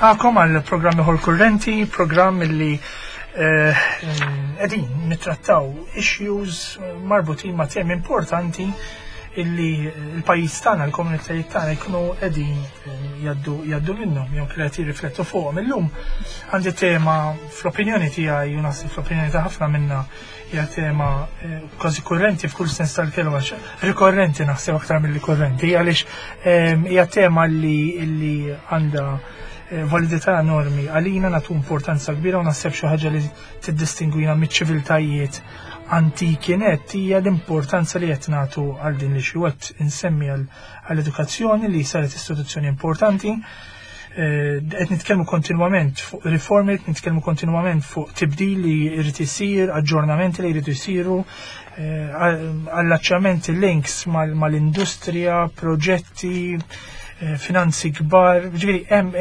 Nilqakom għal programm ieħor kurrenti, programm li eh, qegħdin nittrattaw issues marbutin ma' temi importanti illi l-pajjiż tagħna, l-komunitajiet tagħna jkunu qegħdin eh, jaddu jaddu minnhom jew kellha jirriflettu fuqhom. Illum għandi tema fl-opinjoni tiegħi u naħseb fl-opinjoni ta' ħafna minna hija tema eh, kważi kurrenti f'kull sens tal-kelma, rikorrenti naħseb aktar milli kurrenti, għaliex ehm, hija tema li li għandha eh, validità enormi għalina nagħtu importanza kbira u naħseb xi ħaġa li tiddistingwina miċ-ċiviltajiet antiki net hija l-importanza li qed nagħtu għal din li xi qed insemmi għall-edukazzjoni li saret istituzzjoni importanti. Eh, qed nitkellmu kontinwament fuq riformi, qed nitkellmu kontinwament fuq tibdil li jrid isir, aġġornamenti li jridu jsiru, eh, allaċċamenti links mal-industrija, proġetti, eh, finanzi kbar, ġifieri hemm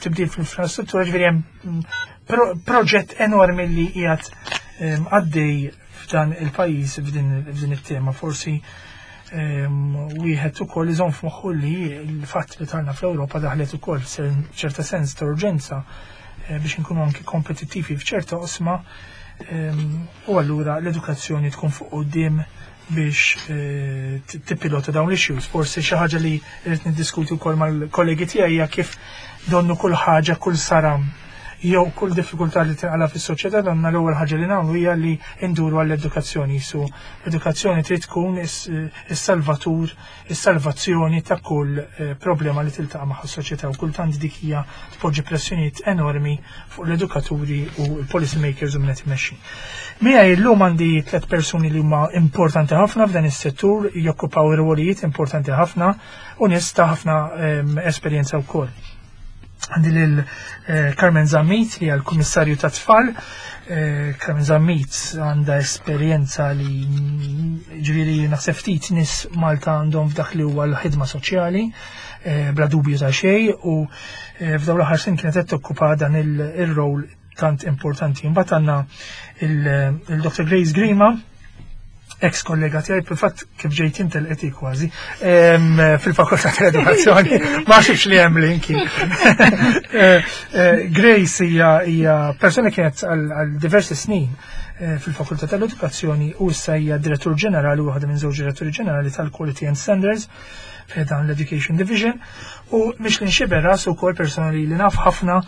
tibdil fl-infrastruttura, ġifieri hemm mm, proġett enormi li qiegħed għaddej f'dan il-pajjiż f'din it-tema. Forsi wieħed ukoll iżomm f'moħħu li l-fatt li tagħna fl-Ewropa daħlet ukoll ċerta sens ta' urġenza eh, biex inkunu anki kompetittivi f'ċerta osma u allura l-edukazzjoni tkun fuq quddiem biex eh, tippilota dawn l-issues. Forsi xi ħaġa li rrid niddiskuti wkoll mal-kollegi tiegħi hija kif donnu kull ħaġa, kull saram jew kull diffikultà li tinqala fis-soċjetà donna l-ewwel ħaġa li nagħmlu hija li nduru għall-edukazzjoni. Su l-edukazzjoni trid tkun is-salvatur, is-salvazzjoni ta' kull eh, problema li tiltaqa' magħha s-soċjetà u kultant dik hija tpoġġi pressjonijiet enormi fuq l-edukaturi u l-policy makers u min qed imexxi. Miegħi llum għandi tliet persuni li huma importanti ħafna f'dan is-settur, jokkupaw rwolijiet importanti ħafna u nies ta' ħafna ehm, esperjenza wkoll. Għandi lil eh, Carmen Zammit li għal kummissarju ta' tfal. Eh, Carmen Zammit għandha esperjenza li ġifieri naħseb ftit nies Malta għandhom f'dak li huwa l-ħidma soċjali eh, bla dubju ta' xejn u f'dawn l-aħħar snin kienet qed tokkupa dan il-rol tant importanti. Imbagħad għandna il-Dr. Grace Grima, ex kollega tiegħi fil-fatt kif ġejt intel qed kważi fil-fakultà tal-edukazzjoni ma xifx li hemm linki. Eh, eh, Grace hija hija persuna kienet għal diversi snin eh, fil-fakultà tal-edukazzjoni u issa hija direttur ġenerali waħda minn żewġ diretturi ġenerali tal-Quality and Standards dan l-Education Division u Michelin Xiberras u kol persona li li naf ħafna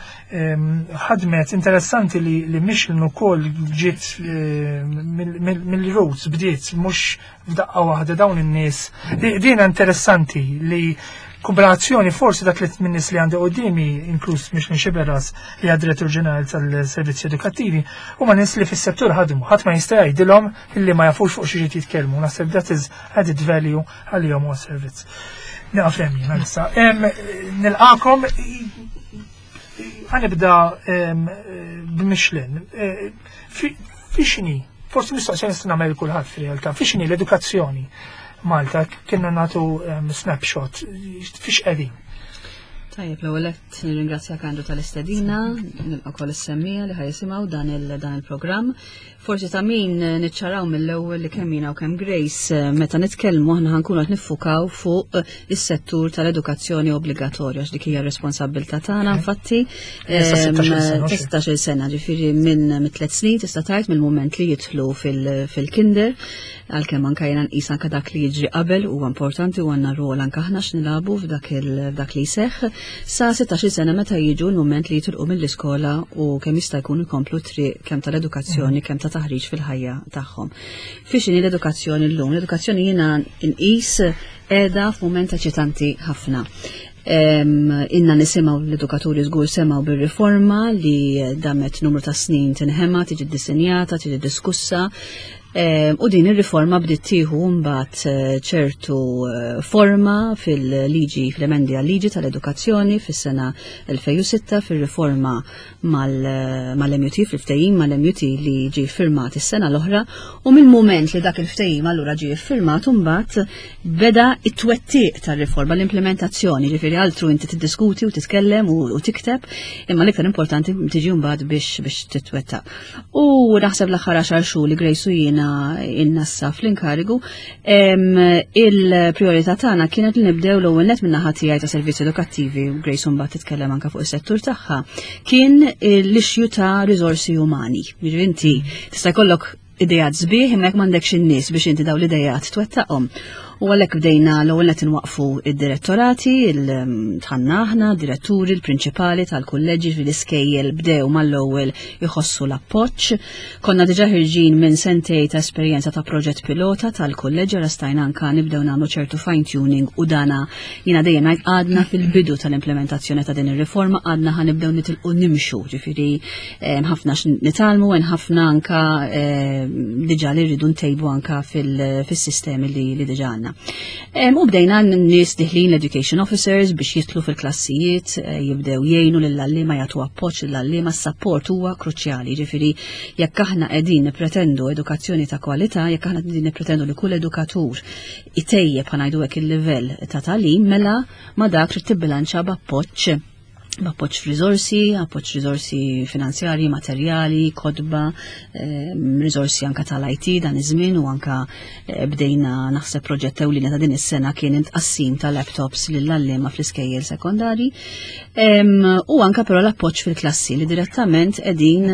ħadmet interessanti li, li Michelin u kol ġiet mill-roots bdiet mux f'daqqa waħda dawn in-nies. Din interessanti li kombinazzjoni forsi dak li minn nies li għandi qoddimi, inkluż Michelin Xiberras li għad direttur ġenerali tal-servizzi edukattivi, huma nies li fis-settur ħadmu, ħadd ma jista' jgħidilhom illi ma jafux fuq xi jitkellmu. Naħseb that is added value għalihom huwa servizz. Naqaf hemm jiena issa. Nilqakom ħanibda b'Michelin. Eh, fi xini, forsi mistoqsija nista' nagħmel kulħadd fir-realtà, fi xini l-edukazzjoni Malta kienna nagħtu snapshot fiex qegħdin. Tajjeb, l-ewwel qed nirringrazzjak Andrew tal-istedina, nilqa' wkoll is-semmija li ħajsimgħu dan il-programm. Forsi ta' min eh, niċċaraw mill-ewwel li kemm jiena u kemm Grace eh, meta nitkellmu aħna ħankunu qed niffukaw fuq eh, is-settur tal-edukazzjoni obbligatorja għax dik hija r-responsabbiltà tagħna infatti 16-il sena ġifieri minn tliet snin tista' tgħid mill-mument li jidħlu fil-kinder għalkemm anke jiena nqis anke dak li jiġri qabel huwa importanti u għandna rwol anke aħna x'nilagħbu f'dak f'dak li jseħħ sa 16 sena meta jiġu l-mument li jitilqu mill-iskola u kemm jista' jkun ikomplu triq kemm tal-edukazzjoni kemm ta' taħriġ fil-ħajja tagħhom. Fiex inhi l-edukazzjoni llum? L-edukazzjoni jiena nqis qiegħda f'mument eċitanti ħafna. Inna nisimaw l-edukaturi żgur semaw bir-riforma li damet numru ta' snin tinħema, tiġi ddisinjata, tiġi diskussa. U din ir-riforma bdiet tieħu mbagħad eh, ċertu eh, forma fil-liġi fl-emendi għal-liġi tal-edukazzjoni fis-sena 2006 fir-riforma eh, mal-MUT fil-ftehim mal-MUT li ġie firmat is-sena l-oħra u mill-mument li dak il-ftehim allura ġie firmat mbagħad beda it-twettiq tar-riforma, l-implementazzjoni, ġifieri altru inti tiddiskuti u titkellem u tikteb, imma l-iktar importanti tiġi mbagħad biex biex titwettaq. U naħseb l-aħħar għaxar xhur li Grace u jiena aħna in-nassa fl-inkarigu, il-priorità tagħna kienet li nibdew l-ewwel net min-naħa tiegħi ta' servizzi edukattivi u Grace mbagħad titkellem anke fuq is-settur tagħha, kien l-issue ta' riżorsi umani. Jiġifieri inti tista' jkollok idejat sbieħ imma jekk m'għandekx in-nies biex inti dawn l-idejat twettaqhom. U għalhekk bdejna l-ewwel qed inwaqqfu id-direttorati, tħanna aħna, diretturi, l-prinċipali tal-kulleġġi fil-iskejjel bdew mal-ewwel iħossu l-appoġġ. Konna diġà ħirġin minn sentej ta' esperjenza ta' proġett pilota tal-kulleġġi rastajna anka nibdew nagħmlu ċertu fine tuning u dana jiena dejjem ngħid għadna fil-bidu tal-implementazzjoni ta' din ir-riforma għadna ħanibdew nitilqu nimxu, ġifieri ħafna nitgħallmu hemm ħafna anka diġà li rridu ntejbu anka fis-sistemi li diġà għandna. U bdejna n-nies diħlin l-education officers biex jitlu fil-klassijiet, eh, jibdew jgħinu lill-għalliema jagħtu appoġġ lill-għalliema, s-sapport huwa kruċjali, ġifieri jekk aħna qegħdin nippretendu edukazzjoni ta' kwalità, jekk aħna qegħdin nippretendu li kull edukatur itejjeb ħanajdu hekk il-livell ta' tagħlim, mela ma dak trid tibbilanċa b'appoġġ b'appoġġ f'riżorsi, appoġġ riżorsi finanzjarji, materjali, kotba, riżorsi anka tal-IT dan iż-żmien u anka eh, bdejna naħseb proġett ewlieni ta' din is-sena kien intqassim ta' laptops lill-għalliema fl-iskejjel sekondari. U anka però l-appoġġ fil-klassi li direttament qegħdin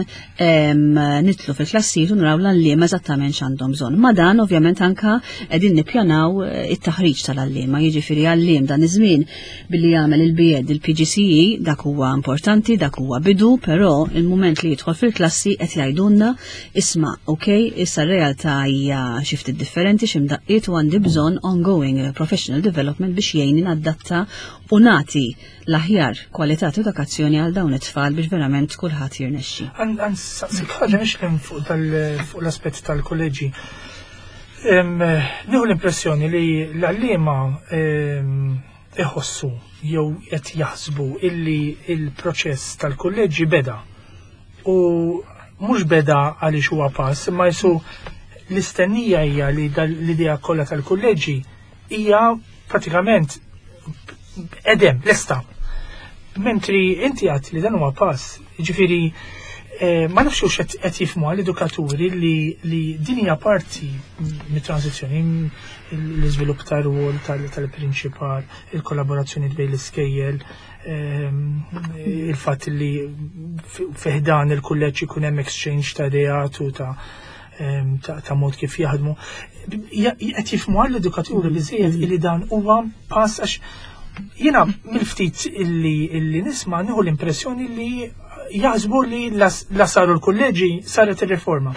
nitlu fil-klassijiet u naraw l-għalliema eżattament x'għandhom bżonn. Ma dan ovvjament anka qegħdin nippjanaw eh, it-taħriġ tal-għalliema, jiġifieri għalliem dan iż-żmien billi jagħmel il-BEd il-PGCE dak huwa importanti, dak huwa bidu, però il-mument li jidħol fil-klassi qed jgħidulna isma' ok, issa r-realtà hija xi ftit differenti xi mdaqqiet u għandi bżonn ongoing professional development biex jgħinni nadatta u nagħti l-aħjar kwalità ta' edukazzjoni għal dawn it-tfal biex verament kulħadd jirnexxi. Għan saqsik ħaġa nixlem fuq l-aspett tal-kolleġi. Nieħu l-impressjoni li l-għalliema iħossu jew qed jaħsbu illi il-proċess tal-kulleġġi beda u mhux beda għaliex huwa pass, imma jisu l-istennija hija li l-idea kollha tal-kulleġġi hija pratikament edem, lesta. Mentri inti għat li dan huwa pass, ġifieri eh, ma nafx hux qed jifhmu għall-edukaturi li, li din hija parti mit-transizzjoni l-iżvilupp tar-rwol tal-prinċipal, il-kollaborazzjoni bejn l-iskejjel, ehm, il-fatt li fiħdan il-kulleġġ ikun hemm exchange ta' ideat u ta' ehm, ta' mod kif jaħdmu. Qed jifhmu għall-edukaturi biżejjed li dan huwa pass għax jiena mill-ftit illi illi nisma' nieħu l-impressjoni li jaħsbu li la saru l-kulleġi saret ir-riforma.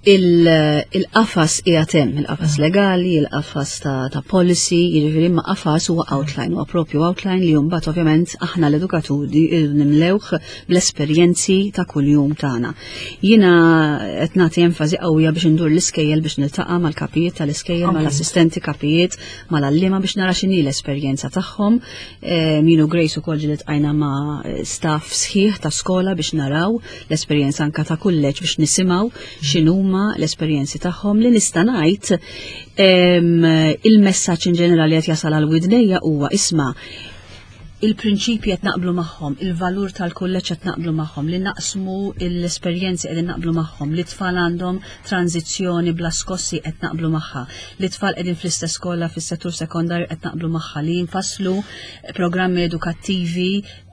Il-qafas qiegħed hemm, il-qafas legali, il-qafas ta', ta policy, jiġifieri imma qafas huwa outline, huwa propju outline li mbagħad ovvjament aħna l-edukaturi nimlewh bl-esperjenzi ta' kuljum tagħna. Jiena qed nagħti enfasi qawwija biex indur l-iskejjel biex niltaqa' mal-kapijiet tal-iskejjel, mal-assistenti kapijiet, mal-għalliema biex nara x'inhi l-esperjenza tagħhom. Jien u Grace ukoll ġieli tqajna ma' staff sħiħ ta' skola biex naraw l-esperjenza anka ta' kulleġġ biex nisimgħu x'inhuma l-esperjenzi tagħhom li nista' ngħid il-messaġġ in ġenerali qed jasal għal widnejja huwa isma' il-prinċipji qed naqblu magħhom, il-valur tal-kulleġġ qed naqblu magħhom, li naqsmu l-esperjenzi qegħdin naqblu magħhom, li tfal għandhom tranzizzjoni bla skossi qed naqblu magħha, li tfal qegħdin fl-istess skola fis-settur sekondarju qed naqblu magħha, li jinfasslu programmi edukattivi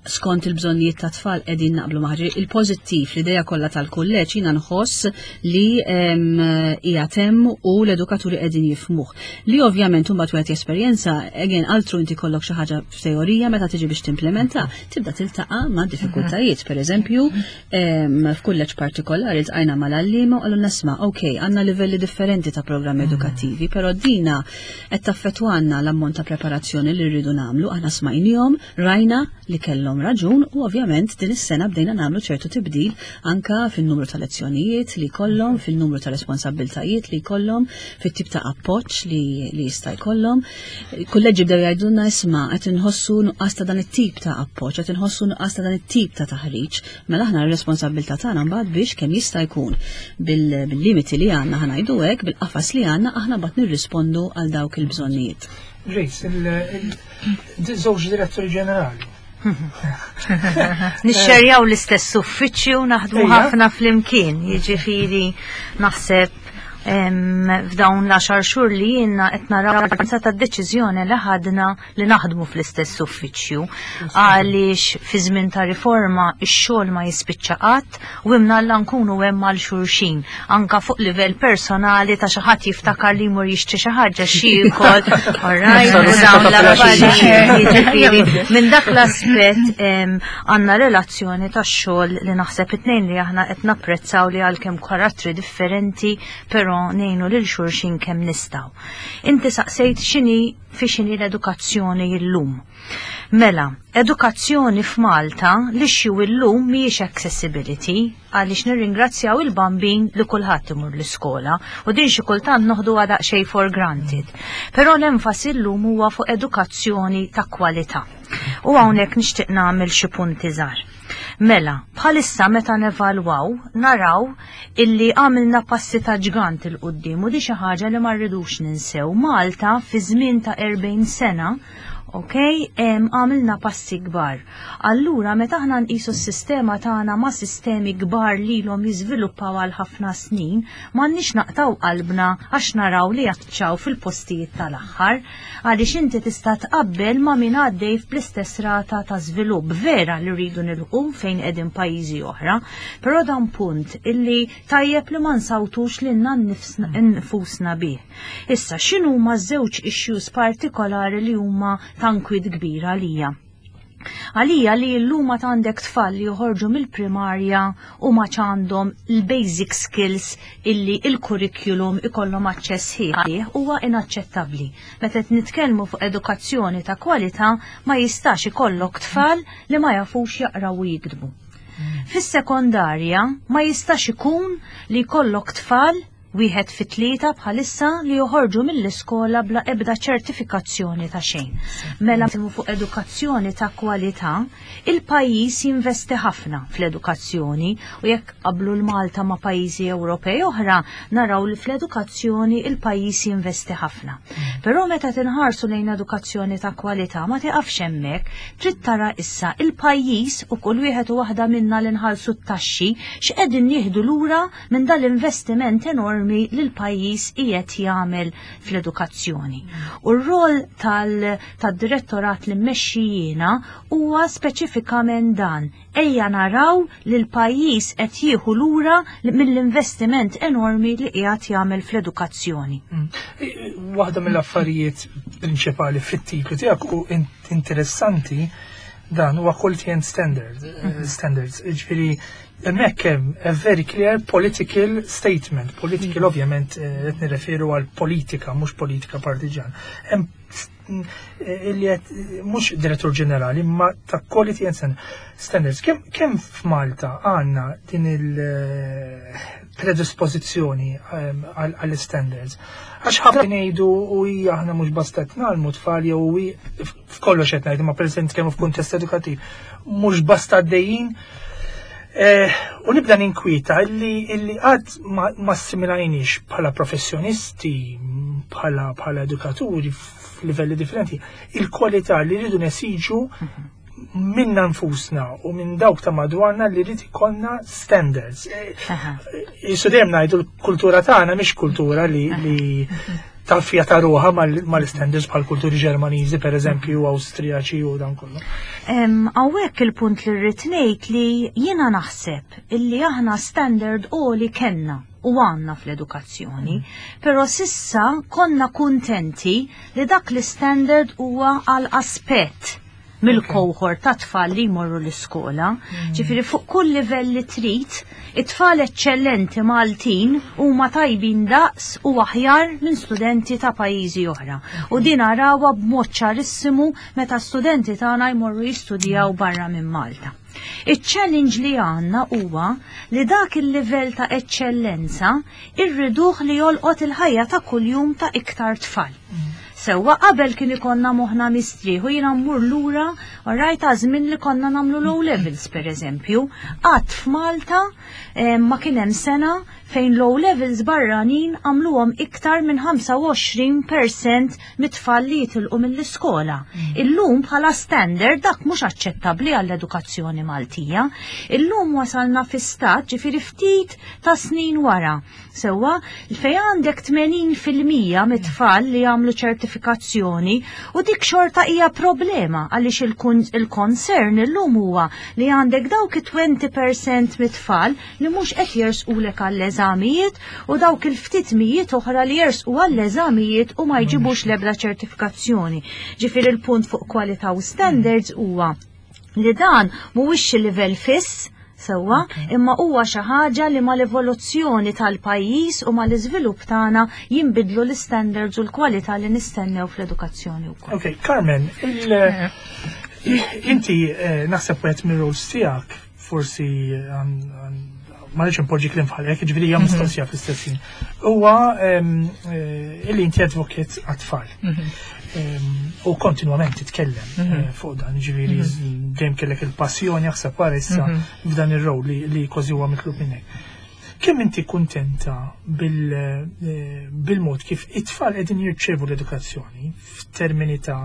skont il-bżonnijiet ta' tfal qegħdin naqblu maħġi. Il-pożittiv, l-idea kollha tal-kulleġġ jiena nħoss li hija temm u l-edukaturi qegħdin jifmuh. Li ovvjament imbagħad wieħed jesperjenza, again altru inti kollok xi ħaġa f'teorija meta tiġi biex timplementa, tibda tiltaqa' ma' diffikultajiet. Per eżempju, f'kulleġġ partikolari ltqajna mal-għalliema u qalulna isma' ok, għandna livelli differenti ta' programmi edukattivi, però dina qed taffettwanna l-ammont ta' preparazzjoni li rridu nagħmlu, aħna smajnihom, Rajna li kellhom raġun u ovvjament din is-sena bdejna nagħmlu ċertu tibdil anka fin-numru ta' lezzjonijiet li jkollhom, fin-numru ta' responsabbiltajiet li jkollhom, fit-tip ta' appoġġ li, li jista' jkollhom. Kulleġġi bdew jgħidulna isma' qed inħossu nuqqas ta' dan it-tip ta' appoġġ, qed inħossu nuqqas ta' dan it-tip ta' taħriġ. Mela aħna r-responsabbiltà tagħna mbagħad biex kemm jista' jkun bil-limiti li għandna ħanajdu hekk, bil-qafas li għandna aħna mbagħad nirrispondu għal dawk il-bżonnijiet. Grace, il-żewġ diretturi ġenerali. Nixxerjaw l-istess uffiċċju naħdmu ħafna flimkien, jiġifieri naħseb F'dawn l-10 xhur li jiena qed naraw ta' deċiżjoni li ħadna li naħdmu fl-istess uffiċċju għaliex fi żmien ta' riforma x-xogħol ma jispiċċa qatt u imnalla nkunu hemm għal xulxin anka fuq livell personali ta' xi ħadd jiftakar li jmur jixtri xi ħaġa xi jiekol, alright, u dawn l-affarijiet, jiġifieri minn dak l-aspett għandna relazzjoni tax-xogħol li naħseb it-tnejn li aħna qed napprezzaw li għalkemm karattri differenti però ngħinu lil xulxin kemm nistgħu. Inti saqsejt x'inhi fi x'inhi l-edukazzjoni illum. Mela, edukazzjoni f'Malta l-issue illum mhijiex accessibility għaliex nirringrazzjaw il-bambin li kulħadd imur l-iskola u din xi kultant noħduha daqsxejn for granted. Però l-enfasi llum huwa fuq edukazzjoni ta' kwalità. U hawnhekk nixtieq nagħmel xi punti żgħar. Mela, bħalissa meta nevalwaw, naraw illi għamilna passi ta' ġgant 'il quddiem u di xi ħaġa li ma rridux ninsew. Malta fi żmien ta' 40 sena, ok, għamilna passi kbar. Allura meta aħna nqisu s-sistema tagħna ma' sistemi kbar li ilhom jiżviluppaw għal ħafna snin, m'għandniex naqtgħu qalbna għax naraw li jaċċaw fil-postijiet tal-aħħar. Għaliex inti tista' tqabbel ma' min għaddej bl-istess rata ta' żvilupp. Vera li rridu nilħqu fejn qegħdin pajjiżi oħra, però dan punt illi tajjeb li ma nsawtux lilna nfusna bih. Issa, x'inhuma żewġ issues partikolari li huma ta' nkwiet kbir għalija? Għalija li llum għad għandek tfal li joħorġu mill-primarja u ma għandhom il-basic skills illi il-curriculum ikollhom aċċess ħieħ huwa inaċċettabbli. Meta qed nitkellmu fuq edukazzjoni ta' kwalità ma jistax ikollok tfal li ma jafux jaqraw u jiktbu. Fis-sekondarja ma jistax ikun li jkollok tfal wieħed fi tlieta bħalissa li joħorġu mill-iskola bla ebda ċertifikazzjoni ta' xejn. Mela fuq edukazzjoni ta' kwalità, il-pajjiż jinvesti ħafna fl-edukazzjoni u jekk qablu l-Malta ma' pajjiżi Ewropej oħra, naraw li fl-edukazzjoni il-pajjiż jinvesti ħafna. Però meta tinħarsu lejn edukazzjoni ta' kwalità ma tiqafx hemmhekk, trid tara issa il-pajjiż u kull wieħed u waħda minna li nħallsu t-taxxi x'qegħdin nieħdu lura minn dal-investiment enormi li l-pajjiż qiegħed jagħmel fl-edukazzjoni. U r-rol tad-direttorat li mmexxi jiena huwa speċifikament dan. Ejja naraw li l-pajjiż qed jieħu lura mill-investiment enormi li qiegħed jagħmel fl-edukazzjoni. Waħda mill-affarijiet prinċipali fit-titlu tiegħek u interessanti dan huwa quality and standard, standards. Ġifieri hemmhekk hemm a very clear political statement. Political ovvjament qed nirreferu għal politika, mhux politika partiġan. Hemm illi qed mhux direttur ġenerali, ma ta' quality and standards. Kemm f'Malta għandna din il-predispożizzjoni għall-standards? Għax ħafna ngħidu u hija aħna mhux basta qed ngħallmu tfal jew f'kollox qed ngħidu, ma pereżempju kemm f'kuntest edukattiv, mhux basta għaddejjin. U nibda ninkwieta illi għad ma assimilajniex bħala professjonisti, bħala edukaturi f'livelli differenti, il-kwalità li rridu nesiġu minna nfusna u minn dawk ta' madwarna li rrid ikollna standards. Jisu dejjem ngħidu l-kultura tagħna mhix kultura li taffja ta' ruħa mal-standards bħal kulturi Ġermaniżi per eżempju, Awstrijaċi u dan kollu. Hawnhekk il-punt li rrid ngħid li jiena naħseb illi aħna standard għoli kellna u għandna fl-edukazzjoni, però s'issa konna kuntenti li dak l-standard huwa għal aspett mill-cohort ta' tfal li jmorru l-iskola. Ġifieri fuq kull livell li trid, it-tfal eċċellenti Maltin huma tajbin daqs u aħjar minn studenti ta' pajjiżi oħra. U din narawha b'mod ċarissimu meta studenti tagħna jmorru jistudjaw barra minn Malta. Iċ-challenge li għandna huwa li dak il-livell ta' eċċellenza irriduh li jolqot il-ħajja ta' kuljum ta' iktar tfal. Sewwa qabel kien ikollna moħħna mistrieħ u jiena mmur lura rajt żmien li konna nagħmlu l-O levels pereżempju. Qatt f'Malta ma kien hemm sena fejn l-O levels barranin għamluhom iktar minn 25% mit-tfal li jitilqu mill-iskola. Illum bħala standard dak mhux aċċettabbli għall-edukazzjoni Maltija. Illum wasalna fi stat ġifieri ftit ta' snin wara. Sewwa, fej għandek 80% mit-tfal li jagħmlu ċertifikazzjoni u dik xorta hija problema għaliex il-concern illum huwa li għandek dawk 20% mit-tfal li mhux qed jersqulek għall-eżamijiet u dawk il-ftit mijiet oħra li jersqu għall-eżamijiet u ma jġibux l-ebda ċertifikazzjoni. Ġifieri il-punt fuq kwalità u standards huwa li dan mhuwiex xi livell fiss, sewwa, imma huwa xi ħaġa li mal-evoluzzjoni tal-pajjiż u mal-iżvilupp tagħna jinbidlu l-standards u l-kwalità li nistennew fl-edukazzjoni wkoll. Ok, Carmen, inti naħseb wieħed mir-roles tiegħek forsi ma rridx impoġġi kliem f'ħalqek, ġifieri hija mistoqsija fl-istess ħin. Huwa illi inti advocate għat-tfal. U kontinwament titkellem fuq dan, ġifieri dejjem kellek il-passjoni aħseb wara issa f'dan ir-rol li kważi huwa mitlub minnek. Kemm inti kuntenta bil-mod kif it-tfal qegħdin jirċevu l-edukazzjoni f'termini ta'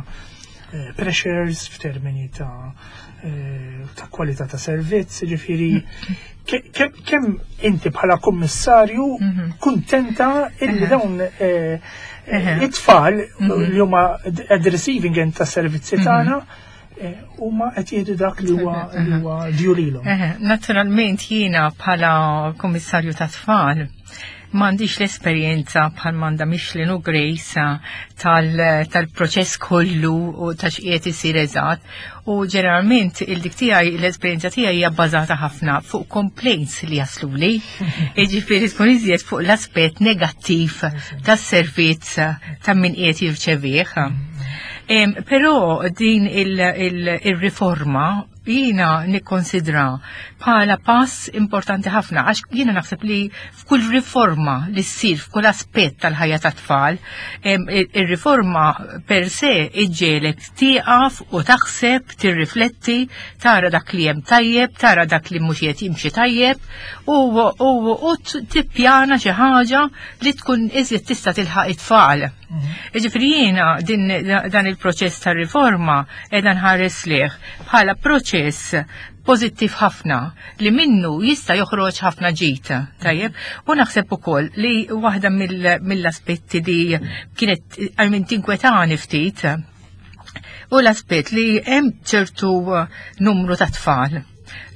pressures, f'termini ta' kwalità ta' servizz, ġifieri kemm inti bħala kummissarju kuntenta illi dawn it-tfal li huma at the receiving end ta' servizzi tagħna huma qed jieħdu dak li huwa due lilhom? Naturalment jiena bħala kummissarju ta' tfal m'għandix l-esperjenza bħal m'għandha Michelin u Grace tal-proċess kollu u ta' x'qiegħed isir eżatt. U ġeneralment il-dik tiegħi l-esperjenza tiegħi hija bbażata ħafna fuq complaints li jasluli. Jiġifieri tkun iżjed fuq l-aspett negattiv tas-servizz ta' min qiegħed jirċevih. Però din il-riforma jiena nikkonsidra bħala pass importanti ħafna għax jiena naħseb li f'kull riforma li ssir f'kull aspett tal-ħajja tat-tfal, ir-riforma per se iġġiegħlek tieqaf u taħseb, tirrifletti, tara dak li hemm tajjeb, tara dak li mhux qed jimxi tajjeb u tippjana xi ħaġa li tkun iżjed tista' tilħaq it-tfal. Jiġifieri jiena dan il-proċess ta' riforma qiegħda nħares lejh bħala proċess pożittiv ħafna li minnu jista' joħroġ ħafna ġid, tajjeb? U naħseb ukoll li waħda mill-aspetti li kienet għalmin tinkwetani ftit u l-aspett li hemm ċertu numru ta' tfal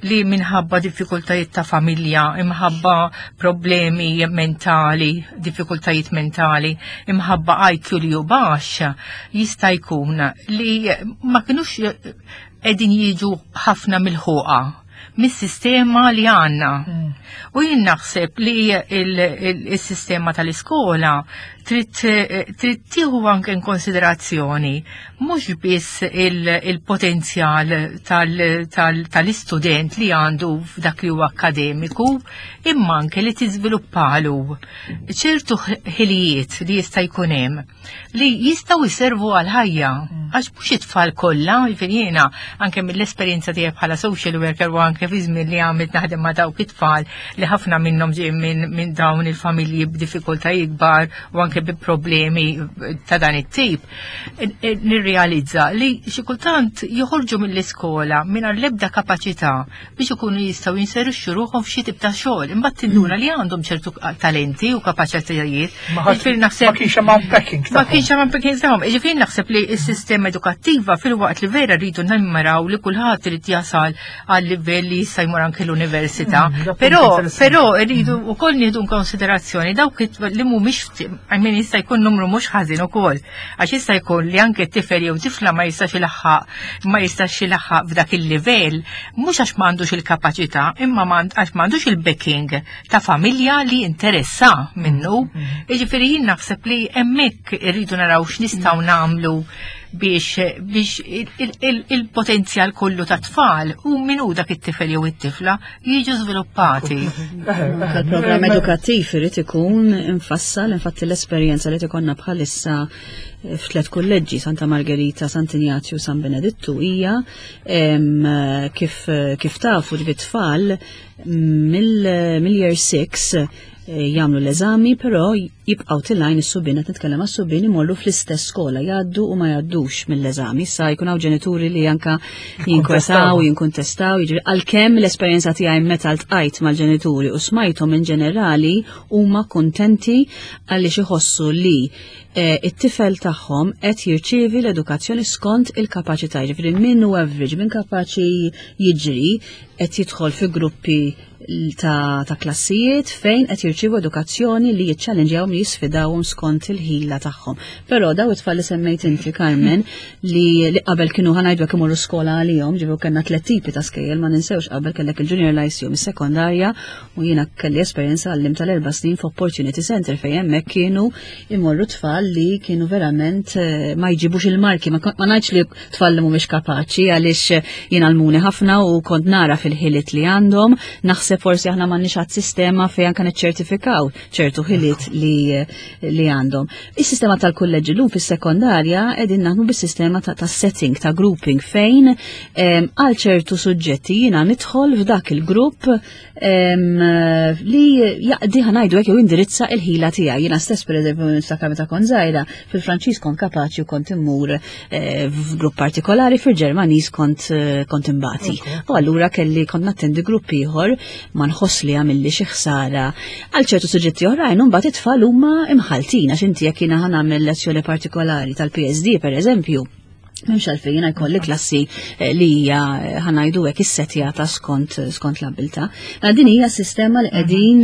li minħabba diffikultajiet ta' familja, imħabba problemi mentali, diffikultajiet mentali, imħabba IQ li hu baxx, jista' jkun li ma kinux qegħdin jiġu ħafna mill-ħuqa mis-sistema li għandna. U jien naħseb li il-sistema tal-iskola trid tieħu anke in konsiderazzjoni mhux biss il-potenzjal tal-istudent li għandu f'dak li huwa akkademiku, imma anke li tiżviluppalu ċertu ħilijiet li jista' jkun hemm li jistgħu jservu għal-ħajja. Għax mhux it-tfal kollha, jiġifieri jiena anke mill-esperjenza tiegħi bħala social worker u anke fi żmien li għamilt naħdem ma' dawk it-tfal li ħafna minnhom ġej minn dawn il-familji b'diffikultajiet kbar u anke bi problemi ta' dan it-tip, nirrealizza li xi kultant joħorġu mill-iskola mingħajr l-ebda kapaċità biex ikunu jistgħu jinserixxu ruħhom f'xi tip ta' xogħol. Imbagħad tinduna li għandhom ċertu talenti u kapaċitajiet. Jiġifieri naħseb ma kienx hemm unpacking. Ma kienx hemm unpacking tagħhom. Jiġifieri naħseb li s-sistema edukattiva filwaqt li vera rridu nimmiraw li kulħadd irid jasal għal livell li jista' jmur anke l-università. Però rridu wkoll nieħdu konsiderazzjoni dawk li mhumiex, I mean, jista' jkun numru mhux ħażin ukoll. Għax jista' jkun li anke tifel jew tifla ma jistax ilaħħaq f'dak il-livell, mhux għax m'għandux il-kapaċità, imma għax m'għandux il-backing ta' familja li interessa minnu. Jiġifieri jien naħseb li hemmhekk irridu naraw x'nistgħu nagħmlu. biex il-potenzjal kollu ta' tfal u min hu dak it-tifel jew it-tifla jiġu żviluppati. Il-programm edukattiv irid ikun infassal, infatti l-esperjenza li tikonna bħalissa f'tliet kulleġġi Santa Margherita, Sant'Injazju, San Benedittu hija kif kif tafu ġbi tfal mill-year 6 jagħmlu l-eżami, però jibqgħu tilgħin is-subien qed nitkellem għas-subien imorru fl-istess skola jgħaddu u ma jgħaddux mill-eżami. Issa jkun hawn ġenituri li anka jinkwetaw, jinkuntestaw, jiġri għalkemm l-esperjenza tiegħi meta ltqajt mal-ġenituri u smajthom in ġenerali huma kuntenti għaliex iħossu li it-tifel tagħhom qed jirċievi l-edukazzjoni skont il-kapaċità, jiġifieri min hu average, min kapaċi jiġri qed jidħol fi gruppi ta' klassijiet fejn qed jirċievu edukazzjoni li jiċċallenġjawhom li jisfidawhom skont il-ħila tagħhom. Però daw it-tfal li semmejt inti Carmen li qabel kienu ħa ngħidu imorru skola għalihom, ġifieri kellna tliet tipi ta' skejjel ma ninsewx qabel kellek il-Junior Lyceum, is-sekondarja u jiena kelli esperjenza għallim tal-4 snin f'Opportunity Center fejn hemmhekk kienu imorru tfal li kienu verament ma jġibux il-marki, ma ngħidx li tfal li mhumiex kapaċi għaliex jien għallmuni ħafna u kont nara fil-ħiliet li għandhom, naħseb forsi aħna m'għandniex għad sistema fejn anke niċċertifikaw ċertu ħiliet li għandhom. Is-sistema tal-kulleġġi llum fis-sekondarja qegħdin naħdmu bis-sistema ta' setting, ta' grouping fejn għal ċertu suġġetti jiena nidħol f'dak il-grupp li jaqdi ħa ngħidu hekk jew indirizza il-ħila tiegħi. Jiena stess pereżempju niftakar meta kont żgħira, fil-Franċiż kont kapaċi u kont immur f'grupp partikolari, fil-Ġermaniż kont imbati. U allura kelli kont nattendi grupp ieħor ma nħoss li għamilli xi ħsara għal ċertu suġġetti oħrajn u mbagħad it-tfal huma imħaltin għax inti jekk jiena ħa nagħmel lezzjoni partikolari tal-PSD pereżempju, m'hemmx għalfejn jiena jkolli klassi li hija ħa ngħidu hekk issettjata skont l-abilità. Ma din hija sistema li qegħdin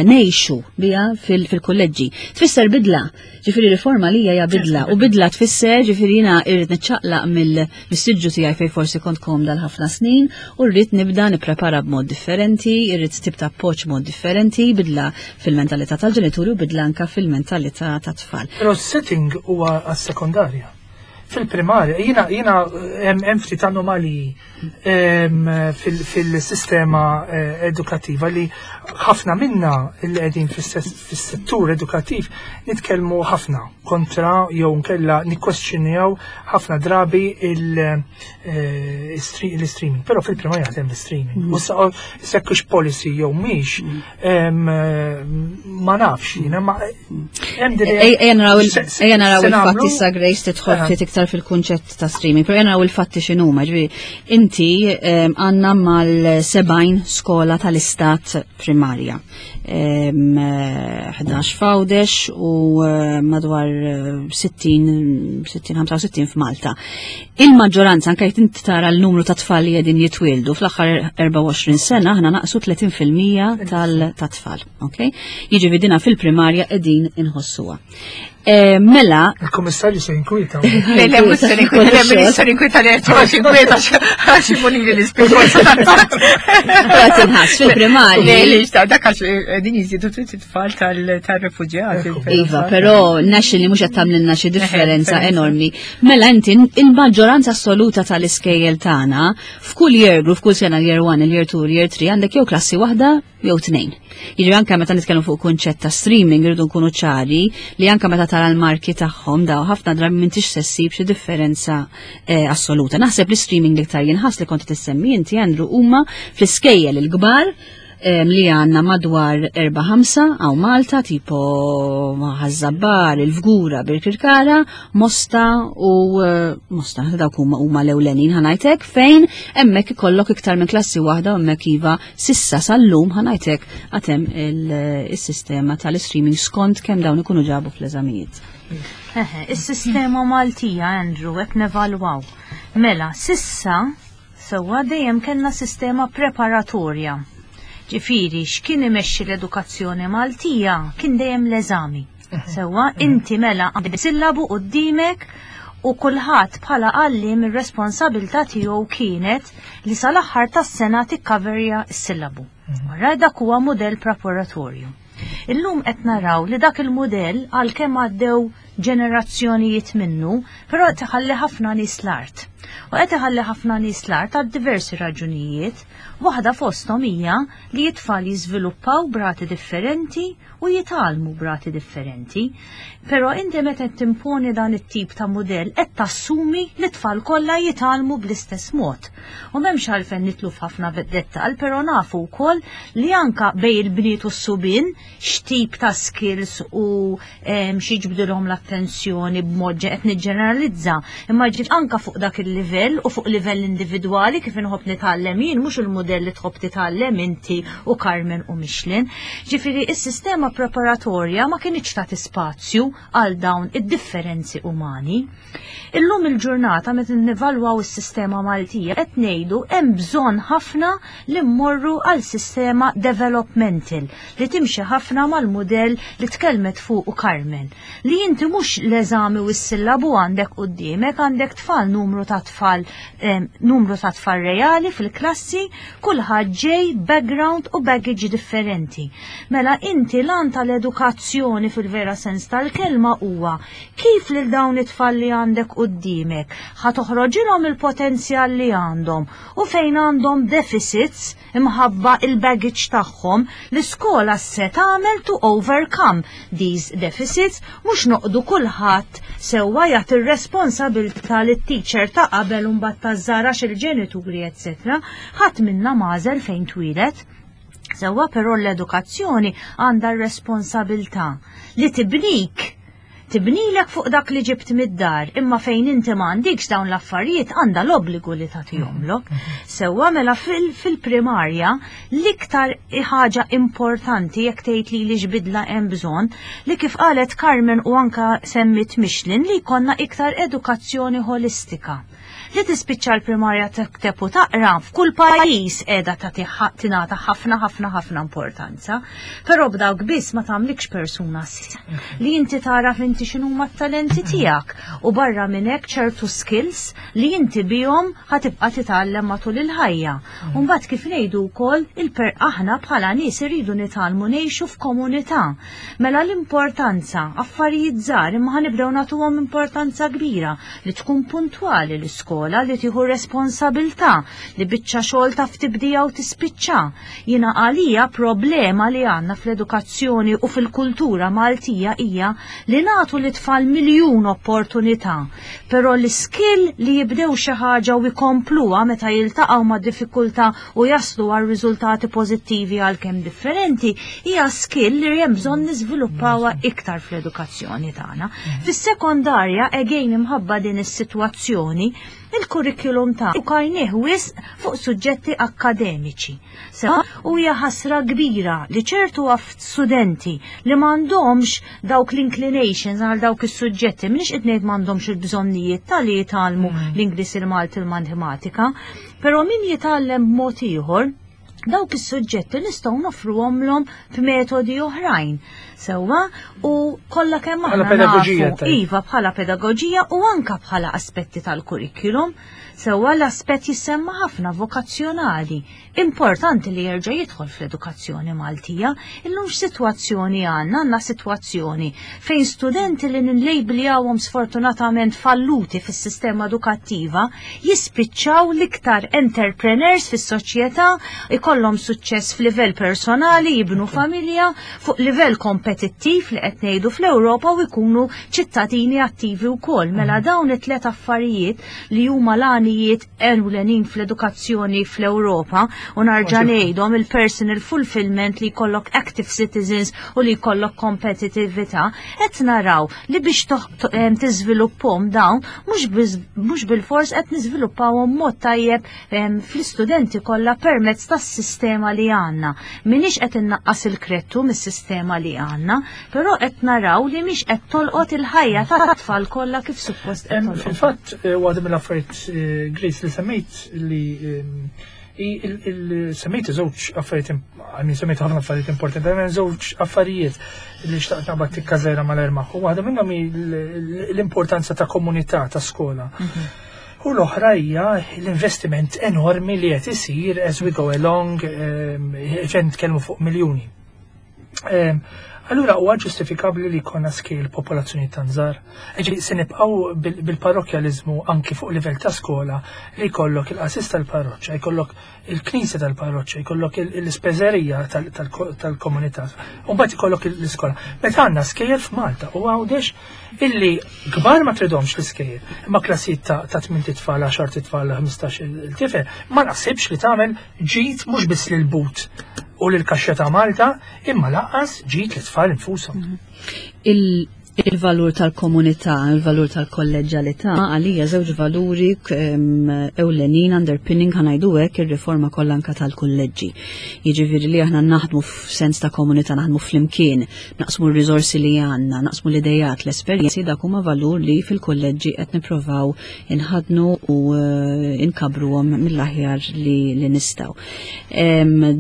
ngħixu biha fil-kulleġġi. Tfisser bidla, ġifieri riforma li hija bidla, u bidla tfisser ġifieri jiena irrid niċċaqlaq mill-siġġu tiegħi fejn forsi kont komda l-ħafna snin u rrid nibda nipprepara b'mod differenti, irrid tip ta' appoġġ b'mod differenti, bidla fil-mentalità tal-ġenituri u bidla anka fil-mentalità tat-tfal. Però s-setting huwa għas-sekondarja. Fil-primarja, jiena hemm ftit anomaliji fil-sistema edukattiva li ħafna minna li qegħdin fis-settur edukattiv nitkellmu ħafna kontra jew nkella nikkwestjonjaw ħafna drabi l-streaming. Però fil-primarja jaħdem l-streaming. U sekkux policy jew mhix, ma nafx jiena, ma hemm din Ejja naraw il-fatti sa Grace tidħol ftit iktar fil-kunċett ta' streaming, però ejja naraw il-fatti x'inhuma, ġifieri inti għandna mal-70 skola tal-istat primarja. 11 f'Għawdex u madwar 60, 65 f'Malta. Il-maġġoranza, anke jekk inti tara l-numru ta' tfal li qegħdin jitwieldu fl-aħħar 24 sena, aħna naqsu 30% tat-tfal, ok? Jiġifieri dina fil-primarja qegħdin inħossuha. Mela. Il-Kummissarju se jinkwieta. Le, le, mhux se ninkwita, le, mhux se ninkwita, le, għax inkwita, għax imuni li l-ispirtu. Għat inħass fil-primarja. Le, le, xta, dak għax din jiżidu trid it-tfal tal-refuġjati. Iva, però naxxi li mhux qed tagħmlilna xi differenza enormi. Mela inti il-maġġoranza assoluta tal-iskejjel tagħna f'kull year group, f'kull sena year 1, il-year 2, il-year 3 għandek jew klassi waħda jew tnejn. Jiġri anke meta nitkellmu fuq kunċett ta' streaming irridu nkunu ċari li anke meta tara l-marki tagħhom daw ħafna drabi m'intix se ssib xi differenza assoluta. Naħseb li streaming li iktar jinħass li kont tissemmi inti Andrew huma fl-iskejjel il-kbar li għandna madwar 4-5 għaw Malta, tipo Ħaż-Żabbar, il-Fgura, Birkirkara, Mosta u Mosta, dawk huma l-ewlenin ħa ngħidlek, fejn hemmhekk ikollok iktar minn klassi waħda u hemmhekk iva sissa sal-lum ħa ngħidlek għatem il-sistema tal-streaming skont kemm dawn ikunu ġabu fl-eżamijiet. Eħe, is-sistema Maltija, Andrew, qed nevalwaw. Mela, sissa sewwa dejjem kellna sistema preparatorja. Ġifieri, x'kien imexxi l-edukazzjoni Maltija kien dejjem l-eżami. Sewwa, inti mela għandek sillabu qudiemek u kulħadd bħala għalliem ir-responsabilità tiegħu kienet li sal-aħħar tas-sena tikkaverja s-sillabu. Wara dak huwa mudell preparatorju. Illum qed naraw li dak il-mudell għalkemm għaddew ġenerazzjonijiet minnu, però qed iħalli ħafna nies l-art. U qed iħalli ħafna nies l-art għal diversi raġunijiet. Waħda fosthom hija li t-tfal jiżviluppaw b'rati differenti u jitgħallmu b'rati differenti. Però inti meta qed timponi dan it-tip ta' mudell qed tassumi li t-tfal kollha jitgħallmu bl-istess mod. U m'hemmx għalfejn nitlu f'ħafna dettall, però nafu wkoll li anka bejn il-bniet u s-subien x'tip ta' skills u x'jiġbdilhom l-attenzjoni b'mod qed niġġeneralizza, imma ġiet anka fuq dak il-livell u fuq livell individwali kif inħobb nitgħallem jien mhux il-mudell li tħobb titgħallem inti u Carmen u Michelin. Ġifieri is-sistema preparatorja ma kinitx tagħti spazju għal dawn id-differenzi umani. Illum il-ġurnata meta nivalwaw is-sistema Maltija qed ngħidu hemm bżonn ħafna li mmorru għal sistema developmental li timxi ħafna mal-mudell li tkellmet fuqu Carmen. Li inti mhux l-eżami u s-sillabu għandek quddiemek, għandek tfal numru ta' tfal numru ta' tfal reali fil-klassi, kulħadd ġej background u baggage differenti. Mela inti lan tal-edukazzjoni fil-vera sens tal-kelma huwa kif lil dawn it-tfal li għandek quddiemek ħa toħroġilhom il-potenzjal li għandhom u fejn għandhom deficits imħabba il-baggage tagħhom, l-iskola se tagħmel to overcome these deficits, mhux noqdu kulħadd sewwa jagħti r-responsabilità lit-teacher ta' qabel u mbagħad taż-żgħar għax il-ġenituri etc. Ħadd minna m'għażel fejn twieled. Sewwa però l-edukazzjoni għandha r-responsabilità li tibnik tibnilek fuq dak li ġibt mid-dar, imma fejn inti ma għandikx dawn l-affarijiet għandha l-obbligu li tagħtihomlok. Sewwa mela fil-primarja l-iktar ħaġa importanti jekk tgħid li li x'bidla hemm bżonn li kif qalet Carmen u anka semmit Michelin li jkollna iktar edukazzjoni ħolistika. Li tispiċċa l-primarja tikteb u taqra f'kull pajjiż qiegħda tagħti tingħata ħafna ħafna ħafna importanza. Però b'dawk biss ma tagħmlikx persuna li inti tagħraf inti x'inhuma t-talenti tiegħek u barra minn hekk ċertu skills li inti bihom ħatibqa' titgħallem matul il-ħajja. U mbagħad kif ngħidu wkoll il-per aħna bħala nies irridu nitgħallmu ngħixu f'komunità. Mela l-importanza, affarijiet żgħar imma ħanibdew nagħtuhom importanza kbira li tkun puntwali l-iskola, li tieħu responsabilità, li biċċa xogħol taf tibdija u tispiċċa. Jiena għalija problema li għandna fl-edukazzjoni u fil-kultura Maltija hija li nagħtu lit-tfal miljun opportunità, però l-iskill li jibdew xi ħaġa u jkompluha meta jiltaqgħu ma' diffikultà u jaslu għal riżultati pożittivi għalkemm differenti hija skill li hemm bżonn niżviluppawha iktar fl-edukazzjoni tagħna. Fis-sekondarja, again imħabba din is-sitwazzjoni, il-kurrikulum ta' kajnieh wisq fuq suġġetti akkademiċi. U hija ħasra kbira li ċertu studenti li m'għandhomx dawk l-inclinations għal dawk is-suġġetti, m'iniex qed ngħid m'għandhomx il-bżonnijiet tal-li jitgħallmu l-Ingliż, il-Malti, il-Matematika, però min jitgħallem b'mod ieħor, dawk is-suġġetti nistgħu noffruhomlhom b'metodi oħrajn. Sewwa u kollha kemm Bħala aħna pedagoġija, nafu, tajb. iva bħala pedagoġija u anka bħala aspetti tal-kurrikulum. Sewwa l-aspett jissemma ħafna vokazzjonali. Importanti li jerġa' jidħol fl-edukazzjoni Maltija. Illum x'sitwazzjoni għandna? Għandna sitwazzjoni fejn studenti li nillejbljawhom sfortunatament falluti fis-sistema edukattiva jispiċċaw l-iktar entrepreneurs fis-soċjetà, ikollhom suċċess f'livell personali, jibnu familja fuq livell kompetittiv li qed ngħidu fl-Ewropa u jkunu ċittadini attivi wkoll. Mela dawn it-tliet affarijiet li huma l-għanijiet ewlenin fl-edukazzjoni fl-Ewropa u narġa' ngħidhom il-personal fulfillment li jkollok active citizens u li jkollok kompetitività, qed naraw li biex tiżviluppahom dawn mhux bil-fors qed niżviluppawhom mod tajjeb fl-istudenti kollha permezz tas-sistema li għandna. M'iniex qed innaqqas il-krettu mis-sistema li għandna, però qed naraw li mhix qed tolqot il-ħajja tat-tfal kollha kif suppost qed tolqot. Fil-fatt, waħda mill-affarijiet, Grace, li semmejt li semmejt żewġ affarijiet, I mean, semmejt ħafna affarijiet importanti, hemm żewġ affarijiet li xtaqt naqbad tikka żgħira mal-ermaħ. U waħda minnhom hi l-importanza ta' komunità ta' skola. U l-oħra hija l-investiment enormi li qed isir as we go along, ġen nitkellmu fuq miljuni. Allura huwa ġustifikabbli li jkollna skejjel popolazzjoni tant żgħar? Ġifieri se nibqgħu bil-parrokkjaliżmu anki fuq livell ta' skola li jkollok il-qassis tal-parroċċa, jkollok il-knisja tal-parroċċa, jkollok l-ispeżerija tal-komunità, u mbagħad ikollok l-iskola. Meta għandna skejjel f'Malta u Għawdex illi kbar ma tridhomx l-iskejjel, imma klassijiet ta' 8 tfal, 10 tfal, 15 il-tifel, ma naħsibx li tagħmel ġid mhux biss lil but u lil kaxxa ta' Malta, imma lanqas ġid lit-tfal infushom. Il-valur tal-komunità, il-valur tal-kolleġġalità, għalija żewġ valuri ewlenin underpinning ħa ngħidu hekk ir-riforma kollha anka tal-kulleġġi. Jiġifieri li aħna naħdmu f'sens ta' komunità, naħdmu flimkien, naqsmu r-riżorsi li għandna, naqsmu l-idejat, l-esperjenzi, dak huma valur li fil-kulleġġi qed nipprovaw inħadnu u inkabruhom mill-aħjar li nistgħu.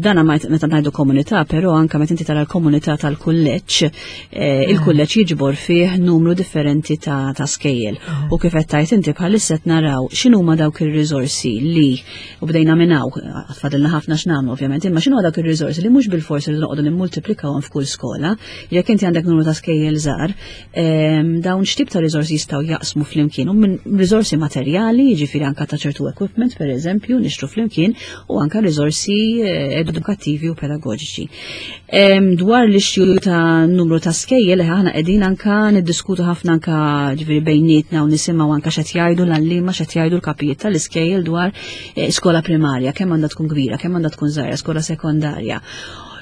Dana meta ngħidu komunità, però anka meta inti tara l-komunità tal-kulleġġ, il-kulleġġ jiġbor fih numru differenti ta' skejjel. U kif qed tgħid inti bħalissa qed naraw x'inhuma dawk ir-riżorsi li u bdejna minn hawn, fadilna ħafna x'nagħmlu ovvjament, imma x'inhuma dawk ir-riżorsi li mhux bilfors irridu noqogħdu nimmultiplikawhom f'kull skola. Jekk inti għandek numru ta' skejjel żgħar, dawn x'tip ta' riżorsi jistgħu jaqsmu flimkien u minn riżorsi materjali, jiġifieri anka ta' ċertu equipment pereżempju, nixtru flimkien, u anka riżorsi edukattivi u pedagoġiċi. Dwar l-issue ta' numru ta' skejjel, aħna qegħdin anka niddiskutu ħafna anka ġifieri bejnietna u nisimgħu anka x'qed jgħidu l-għalliema, x'qed jgħidu l-kapijiet tal-iskejjel dwar skola primarja, kemm għandha tkun kbira, kemm għandha tkun żgħira, skola sekondarja.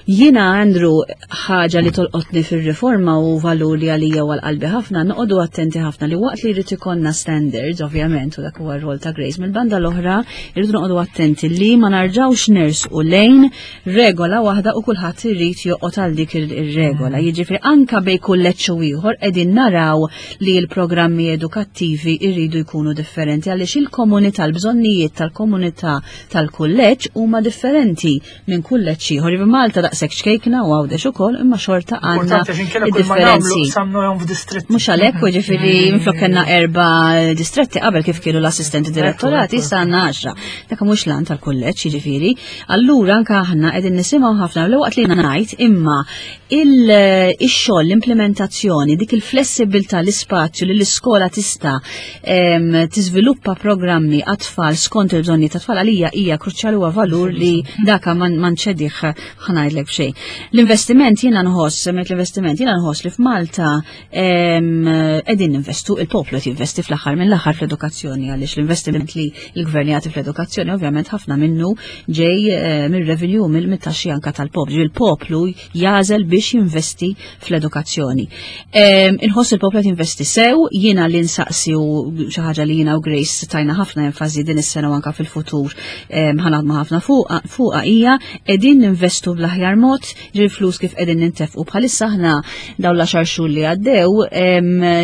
Jiena, Andrew, ħaġa li tolqotni fir-riforma u valur li għalija u għal-qalbi ħafna, noqogħdu attenti ħafna li waqt li jrid ikollna standards, ovvjament, u dak huwa r-rol ta' Grace, mill-banda l-oħra irridu noqogħdu attenti li ma narġawx nersqu lejn regola waħda u kulħadd irid joqgħod għal dik ir-regola. Jiġifieri anka bejn kulleġġ u ieħor qegħdin naraw li l-programmi edukattivi jridu jkunu differenti għaliex il-komunità, l-bżonnijiet tal-komunità tal-kulleġġ huma differenti minn kulleġġ ieħor. Iva Malta daqshekk ċkejkna u Għawdex ukoll, imma xorta għandna Importanti għax inkella kull ma nagħmlu differenzi. samnuhom f'distretti. Mhux għalhekk, u ġifieri minflok kellna 4 distretti qabel kif kienu l-assistenti direttorati, issa għandna 10. Dak mhux l-għan tal-kulleġġ, jiġifieri. Allura anke aħna qegħdin nisimgħu ħafna l waqt li ngħid imma ix-xogħol, l-implementazzjoni, dik il-flessibilità, l-ispazju li l-iskola tista' tiżviluppa programmi għat-tfal skont il-bżonni ta' tfal għalija hija kruċjali huwa valur li daka ma nċedih ħanajdlek b'xejn. L-investiment jiena nħoss, semmejt l-investiment jiena nħoss li f'Malta qegħdin ninvestu, il-poplu qed jinvesti fl-aħħar mill-aħħar fl-edukazzjoni għaliex l-investiment li l-gvern jagħti fl-edukazzjoni ovvjament ħafna minnu ġej mir-revenue mill-taxxi anka tal-poplu. Il-poplu jagħżel biex jinvesti fl-edukazzjoni. Inħoss il-poplu qed jinvesti sew, jiena li nsaqsi u xi ħaġa li jiena u Grace tajna ħafna enfasi din is-sena u anka fil-futur ħanaħdmu ħafna fuqha hija qegħdin ninvestu bl-aħjar mod, ġil flus kif qegħdin nintefqu bħalissa aħna dawn l-10 xhur li għaddew,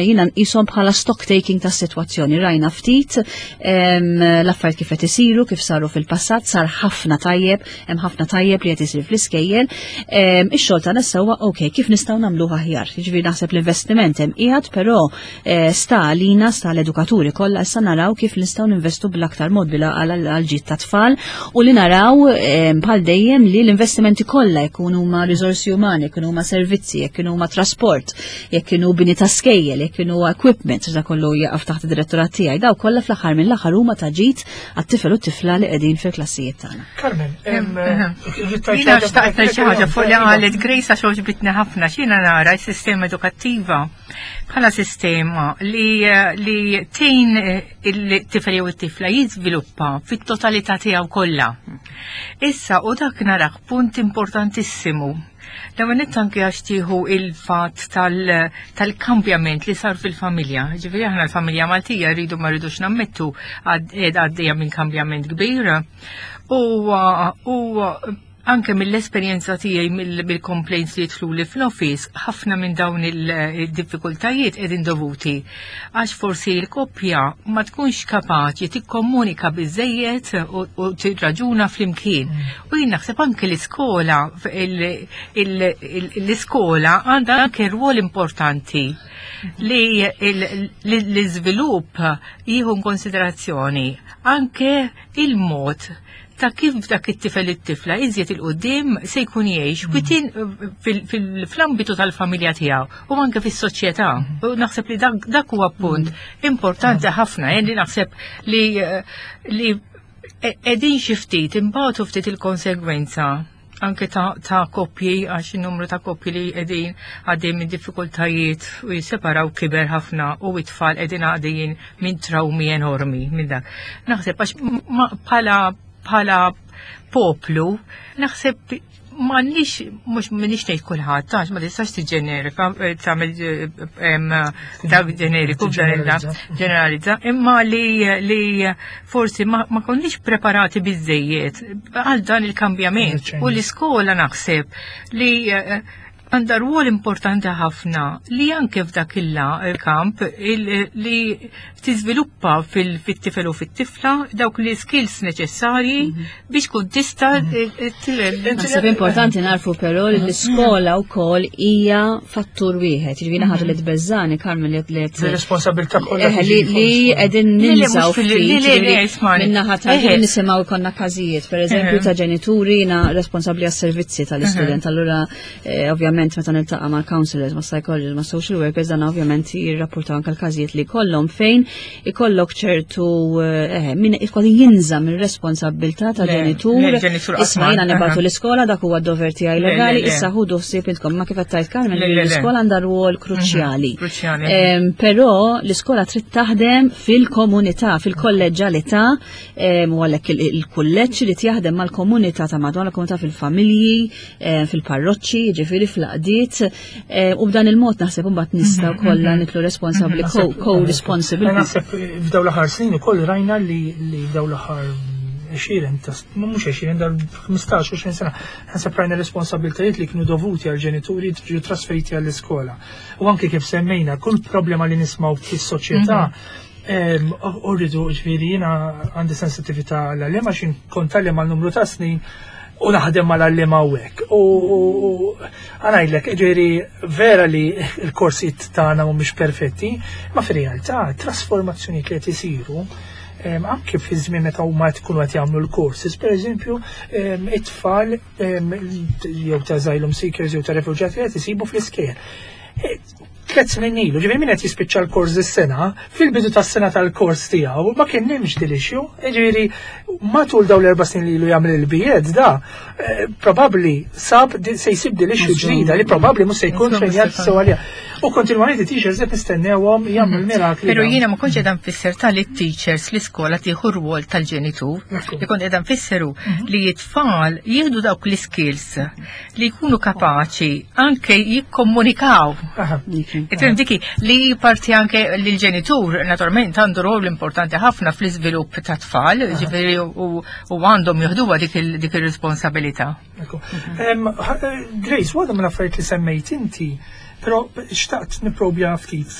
jiena nqishom bħala stock taking tas-sitwazzjoni. Rajna ftit l-affarijiet kif qed isiru, kif saru fil-passat, sar ħafna tajjeb, hemm ħafna tajjeb li qed isir fl-iskejjel. Ix-xogħol tagħna sewwa, ok, kif nistgħu nagħmluh aħjar? Jiġifieri naħseb l-investiment hemm qiegħed, però sta għalina, sta l-edukaturi kollha issa naraw kif nistgħu ninvestu bl-aktar mod bila għal ġid ta' tfal u li naraw bħal dejjem li l-investimenti kollha jkunu huma riżorsi umani, jkunu huma servizzi, jekk huma trasport, jekk kienu bini ta' skejjel, jekk kienu equipment, da kollu jaqaf taħt id-direttorat tiegħi, daw kollha fl-aħħar mill-aħħar huma ta' ġid għat-tifel u t-tifla li qegħdin fil-klassijiet tagħna. Carmen, Jiena xtaqt ngħid xi ħaġa fuq li qalet Grace għax għoġbitni ħafna x'jiena nara s-sistema edukattiva bħala sistema li tgħin il-tifel jew it-tifla jiżviluppa fit-totalità tiegħu kollha. Issa u dak narah punt importantissimu. L-ewwel nett anke għax tieħu il-fatt tal-kambjament li sar fil-familja. Ġifieri aħna l-familja Maltija rridu ma rridux nammettu għaddejja minn kambjament kbir. U anke mill-esperjenza tiegħi mill-complaints li jidħlu li fl-office, ħafna minn dawn il-diffikultajiet qegħdin dovuti għax forsi l-koppja ma tkunx kapaċi tikkomunika biżejjed u tirraġuna flimkien. U jien naħseb anke l-iskola għandha anke rwol importanti li l-iżvilupp jieħu konsiderazzjoni anke il-mod ta' kif dak it-tifel it-tifla iżjed il-qudiem se jkun jgħix within fl-ambitu tal-familja tiegħu u anke fis-soċjetà. U naħseb li dak huwa punt importanti ħafna, li naħseb li li qegħdin xi ftit imbagħtu ftit il-konsegwenza anke ta', ta koppji għax in-numru ta' koppji li qegħdin għaddejjin minn diffikultajiet u jisseparaw kiber ħafna u it-tfal qegħdin għaddejjin minn trawmi enormi minn dak. Naħseb għax bħala bħala poplu naħseb m'għandniex mhux m'iniex ngħid kulħadd għax ma tistax tiġġenerika eh, tagħmel eh, dak ġeneriku ġeneralizza, imma li li forsi ma, ma konniex preparati biżejjed għal dan il-kambjament u l-iskola naħseb li eh, għandha rwol importanti ħafna li anke f'dak il-kamp li tiżviluppa fil-tifel u fit-tifla dawk li skills neċessarji biex kun tista' Naħseb importanti narfu però li l-iskola wkoll hija fattur wieħed. Jiġifieri ħaġa li tbeżżani Carmen li li Responsabilità kollha. Eh, li qegħdin ninsaw min-naħa ta' nisimgħu jkollna każijiet, pereżempju ta' ġenituri jiena responsabbli għas-servizzi tal-istudent. Allura Eh, ovvjament meta niltaqa' mal counselors, ma' psychologists, ma' social workers, dan ovvjament jirrapportaw anke l-każijiet li kollhom fejn ikollok ċertu eh, min ikolli jinża mir-responsabilità ta' ġenitur. Isma' jiena nibgħatu l-iskola dak huwa d-dover tiegħi legali, issa ħudu ħsieb intkom ma kif qed tgħid Carmen l-iskola għandha rwol mhm, kruċjali. Però l-iskola trid taħdem fil-komunità, fil-kolleġġalità, u għalhekk il-kulleġġ irid jaħdem mal-komunità ta' madwar il-komunità fil-familji, Eh, fil-parroċċi, ġifieri fl-qdiet, eh, u b'dan il-mod naħseb imbagħad nistgħu mhm, kollha mhm. nitlu responsabbli co-responsible. Naħseb f'dawn l-aħħar snin ukoll rajna li f'dawn l-aħħar 20, mhux 20, dal 15-20 sena, naħseb rajna responsabiltajiet li kienu dovuti għal ġenituri ġew trasferiti għall-iskola. U anke kif semmejna, kull problema li nismaw fis-soċjetà mhm. U rridu, ġviri, jina għandi sensitivita għall-għallima, xin kont għallima għal numru ta' snin u naħdem mal-għallima u hekk. U għanajdlek, ġviri, vera li l-korsijiet tagħna mhumiex perfetti, ma fir-realtà trasformazzjoni li qed isiru anke fi żmien meta huma tkunu qed jagħmlu l-courses, pereżempju, it-tfal jew ta' asylum seekers jew ta' refuġjati qed isibu fl-iskejjel. Tlet snin ilu, ġifieri min qed jispiċċa l-kors is-sena, fil-bidu tas-sena tal-kors tiegħu ma kien hemmx din issue, ġifieri matul dawn l-erba' snin li ilu jagħmel il-B.Ed da, eh, probabbli sab se jsib din issue ġdida li probabbli mhux se jkun trejnjat sew għaliha. U kontinwament it-teachers qed nistennewhom jagħmlu l-mirakli. Però jiena ma kontx qiegħda nfisser tal teachers l-iskola tieħu rwol tal-ġenitur. Li kont qiegħda nfisseru mhm. li t-tfal jieħdu dawk l-iskills li jkunu kapaċi anke jikkomunikaw. Ifhem diki li parti anke li l-ġenitur naturalment għandu rol importanti ħafna fl-iżvilupp ta' tfal, ġifieri u għandhom jieħduha dik ir-responsabilità. Grace, waħda mill-affarijiet li semmejt inti Pero xtaqt niprobja ftit.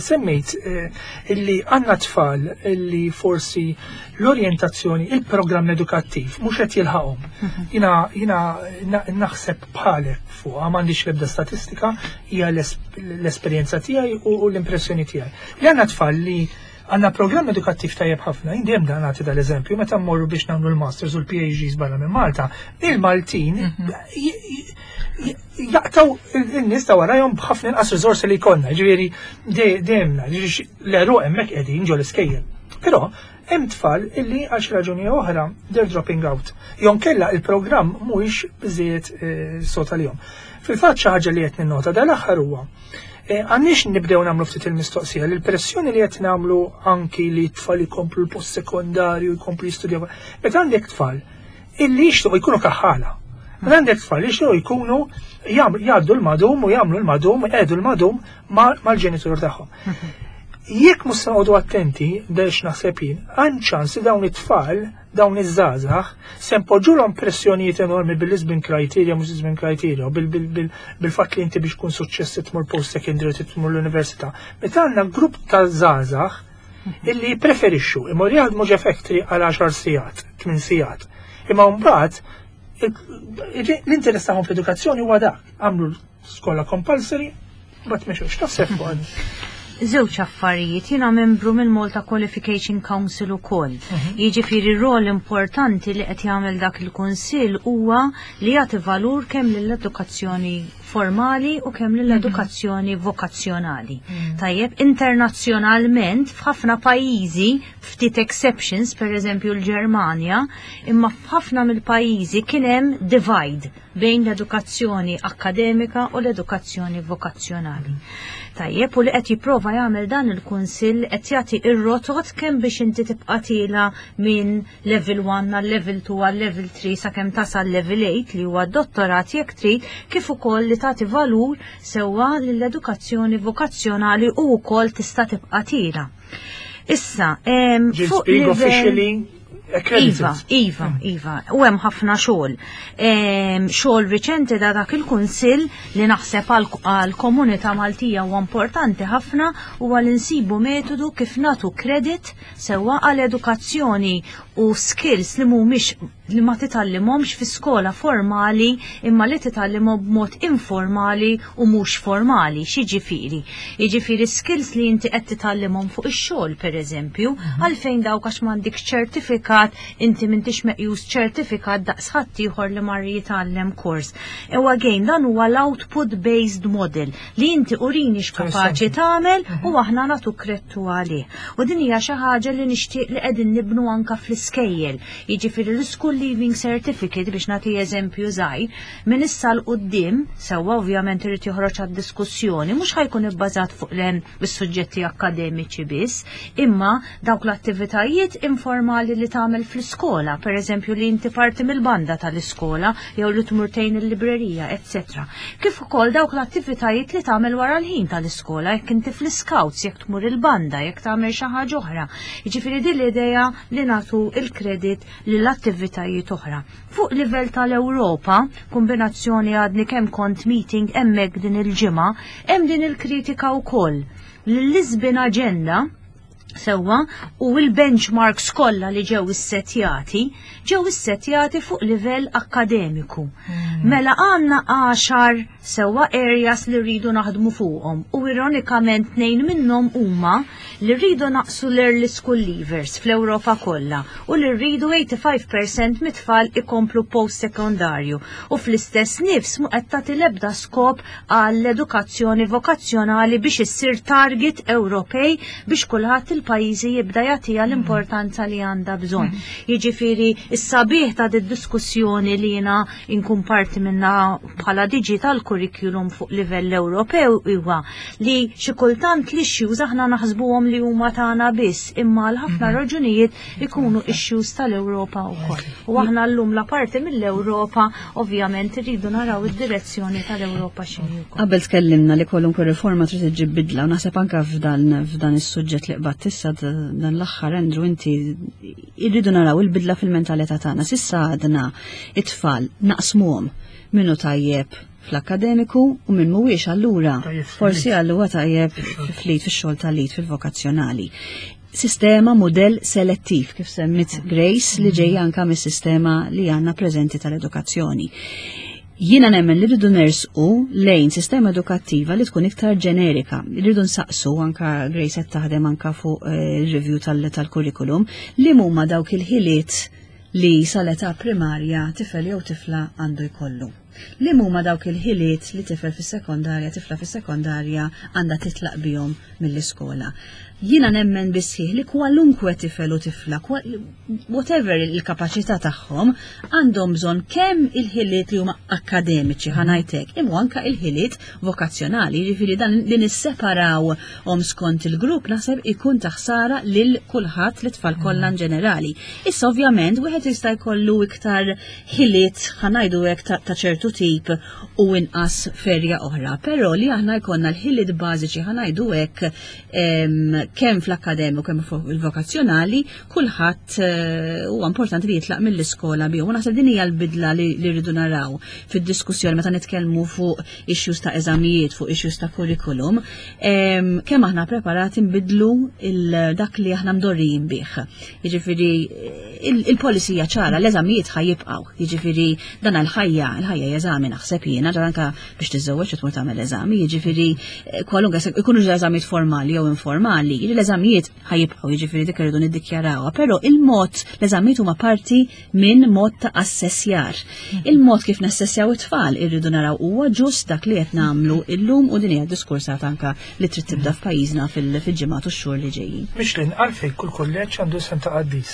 Semmejt eh, illi għanna tfal illi forsi l-orjentazzjoni, il-programm edukattiv mhux qed jilħaqhom. Mhm. Jina jina naħseb bħalek fuq m'għandix l-ebda statistika, hija l-esperjenza tiegħi u l-impressjoni tiegħi. Li għandna tfal li għandna programm edukattiv tajjeb ħafna, jien dejjem dan nagħti dal-eżempju, meta mmorru biex nagħmlu l-masters u l-PhDs barra minn Malta, il-Maltin mhm. jaqtaw il-nies ta' warajhom b'ħafna inqas riżorsi li jkollna, ġifieri dejjem l-għeruq hemmhekk qegħdin ġol iskejjel. Però hemm tfal illi għal xi raġuni oħra they're dropping out. Jew kella il-programm mhuwiex biżejjed eh, sod għalihom. Fil-fatt xi ħaġa li qed ninnota dal-aħħar huwa eh, għandniex nibdew nagħmlu ftit il-mistoqsija li l-pressjoni li qed nagħmlu anki li t-tfal jkomplu l-post sekondarju jkomplu jistudjaw. Meta għandek tfal illi jixtuq jkunu kaħħala. Meta għandek tfal li jixtuq jkunu jgħaddu l-madum u jagħmlu l-madum, jgħidu l-madum mal-ġenitur tagħhom. Jekk mhux se noqogħdu attenti, dex naħseb jien, għand ċans li dawn it-tfal, dawn iż-żgħażagħ, se npoġġulhom pressjonijiet enormi bil-Lisbon criteria, mhux Lisbon criteria, bil-fatt li inti biex tkun suċċess tmur post secondary tmur l-università. Meta għandna grupp ta' żgħażagħ illi jippreferixxu imur jaħdmu ġe factory għal 10 sigħat, 8 sigħat. Imma mbagħad l-interess tagħhom fl-edukazzjoni huwa dak, għamlu skola compulsory, mbagħad mexew. X'taħseb fuq? Żewġ affarijiet, jiena membru mill-Malta Qualification Council ukoll. Jiġifieri rol importanti li qed jagħmel dak il-kunsill huwa li jagħti valur kemm lill-edukazzjoni formali u kemm lill-edukazzjoni vokazzjonali. Tajjeb, internazzjonalment f'ħafna pajjiżi, ftit exceptions, per eżempju l-Ġermanja, imma f'ħafna mill-pajjiżi kien hemm divide bejn l-edukazzjoni akkademika u l-edukazzjoni vokazzjonali. Tajjeb, u li qed jipprova jagħmel dan il-kunsill qed jagħti ir-rotot kemm biex inti tibqa' tiela minn level 1 għal level 2 għal level 3 sakemm tasal level 8 li huwa dottorat jekk trid, kif ukoll li tagħti valur sewwa lill-edukazzjoni vokazzjonali u wkoll tista' tibqa' tiela. Issa, fuq being livell officially accredited. Iva, iva, iva, u hemm ħafna xogħol. Xogħol riċenti da dak il-kunsill li naħseb għall-komunità Maltija huwa importanti ħafna huwa li nsibu metodu kif nagħtu credit sewwa għal edukazzjoni u skills li mhumiex li ma titgħallimhomx fi skola formali imma li titgħallimhom b'mod informali u mhux formali. X'jiġifieri? Jiġifieri skills li inti qed titgħallimhom fuq ix-xogħol pereżempju, għalfejn dawk għax m'għandikx ċertifikat inti m'intix meqjus ċertifikat daqs ħaddieħor li mar jitgħallem kors. U again dan huwa l-output based model li inti urini x'kapaċi tagħmel u aħna nagħtu kredtu għalih. U din hija xi ħaġa li nixtieq li qegħdin nibnu anka fl-iskejjel. Jiġifieri l-School Leaving Certificate biex nagħti eżempju żgħir, minn issa 'l quddiem, sewwa ovvjament irid joħroġ għad-diskussjoni, mhux ħa jkun ibbażat fuq is-suġġetti akkademiċi biss, imma dawk l-attivitajiet informali li tagħmel fl-iskola, pereżempju li inti parti mill-banda tal-iskola jew li tmur tgħin il-librerija, eċċetera. Kif ukoll dawk l-attivitajiet li tagħmel wara l-ħin tal-iskola, jekk inti fl-scouts, jekk tmur il-banda, jekk tagħmel xi ħaġa oħra. Jiġifieri din l-idea li nagħtu il-kredit lill-attivitajiet oħra. Fuq livell tal-Ewropa, kombinazzjoni għadni kemm kont meeting hemmhekk din il-ġimgħa, hemm din il-kritika wkoll li l-Lisbon Agenda sewwa u l-benchmarks kollha li ġew issettjati, ġew issettjati fuq livell akkademiku. Mela għandna 10 sewwa areas li rridu naħdmu fuqhom u ironikament 2 minnhom huma li rridu naqsu l-early school leavers fl-Ewropa kollha u li rridu 85% mit-tfal ikomplu post-sekondarju u fl-istess nifs mu qed tagħti l-ebda skop għall-edukazzjoni vokazzjonali biex issir target Ewropej biex kulħadd il-pajjiżi jibda jagħtiha l-importanza li għandha bżonn. Jiġifieri s-sabiħ ta' diskussjoni li jiena inkun parti minna bħala digital curriculum fuq livell Ewropew huwa li xi kultant l-issues aħna naħsbuhom li huma tagħna biss, imma għal ħafna raġunijiet ikunu issues tal-Ewropa wkoll. U aħna llum la parti mill-Ewropa ovvjament irridu naraw id-direzzjoni tal-Ewropa x'inhi wkoll. Qabel tkellimna li kwalunkwe riforma trid iġġib bidla u naħseb anke f'dan is-suġġett li qbadt issa dan l-aħħar, Andrew, inti irridu naraw il-bidla fil-mentalità tagħna. S'issa għadna it-tfal naqsmuhom minnu tajjeb fl-akademiku u minn mhuwiex, allura forsi allura tajjeb fl-id fix-xogħol tal-id fil-vokazzjonali. Sistema model selettiv kif semmit Grace li ġejja anka mis-sistema li għandna preżenti tal-edukazzjoni. Jiena nemmen li rridu nersqu lejn sistema edukattiva li tkun iktar ġenerika. Rridu nsaqsu, anka Grace qed taħdem anka fuq il-review tal-curriculum, li huma dawk il-ħiliet li sal-età primarja tifel jew tifla għandu jkollu. Li huma dawk il-ħiliet li tifel fis-sekondarja, tifla fis-sekondarja għandha titlaq bihom mill-iskola. Jiena nemmen bisħiħ li kwalunkwe tifel u tifla, whatever il-kapaċità tagħhom, għandhom bżonn kemm il-ħiliet li huma akademiċi, ħa ngħidlek, imma anka il-ħiliet vokazzjonali, jiġifieri dan li nisseparaw om skont il-grupp naħseb ikun taħsara lil kulħadd, l-tfal kollha in ġenerali. Issa ovvjament wieħed jista' jkollu iktar ħiliet, ħa ngħidu hekk, ta' ċertu tip u inqas f'erja oħra, però li aħna jkollna l-ħiliet bażiċi, ħa ngħidu hekk, kemm fl-akkademiku kemm fuq il-vokazzjonali, kulħadd huwa importanti li jitlaq mill-iskola bihom. U naħseb din hija l-bidla li rridu naraw fid-diskussjoni meta nitkellmu fuq issues ta' eżamijiet, fuq issues ta' curriculum, kemm aħna preparati nbidlu dak li aħna mdorrijin bih. Jiġifieri il-policy hija ċara, l-eżamijiet ħa jibqgħu. Jiġifieri dan il-ħajja, il-ħajja hija eżami naħseb jiena, ġar anka biex tiżżewweġ tmur tagħmel eżami, jiġifieri kwalunkwe ikunu eżamijiet formali jew informali, jiġifieri l-eżamijiet ħa jibqgħu, jiġifieri dik irridu niddikjarawha, però il-mod l-eżamijiet huma parti minn mod ta' assessjar. Il-mod kif nassessjaw it-tfal irridu naraw huwa ġust dak li qed nagħmlu illum u din hija diskursata anka li trid tibda f'pajjiżna fil-ġimgħat u x-xhur li ġejjin. Michelin, għalfejn kull kulleġġ għandu isem ta' qaddis.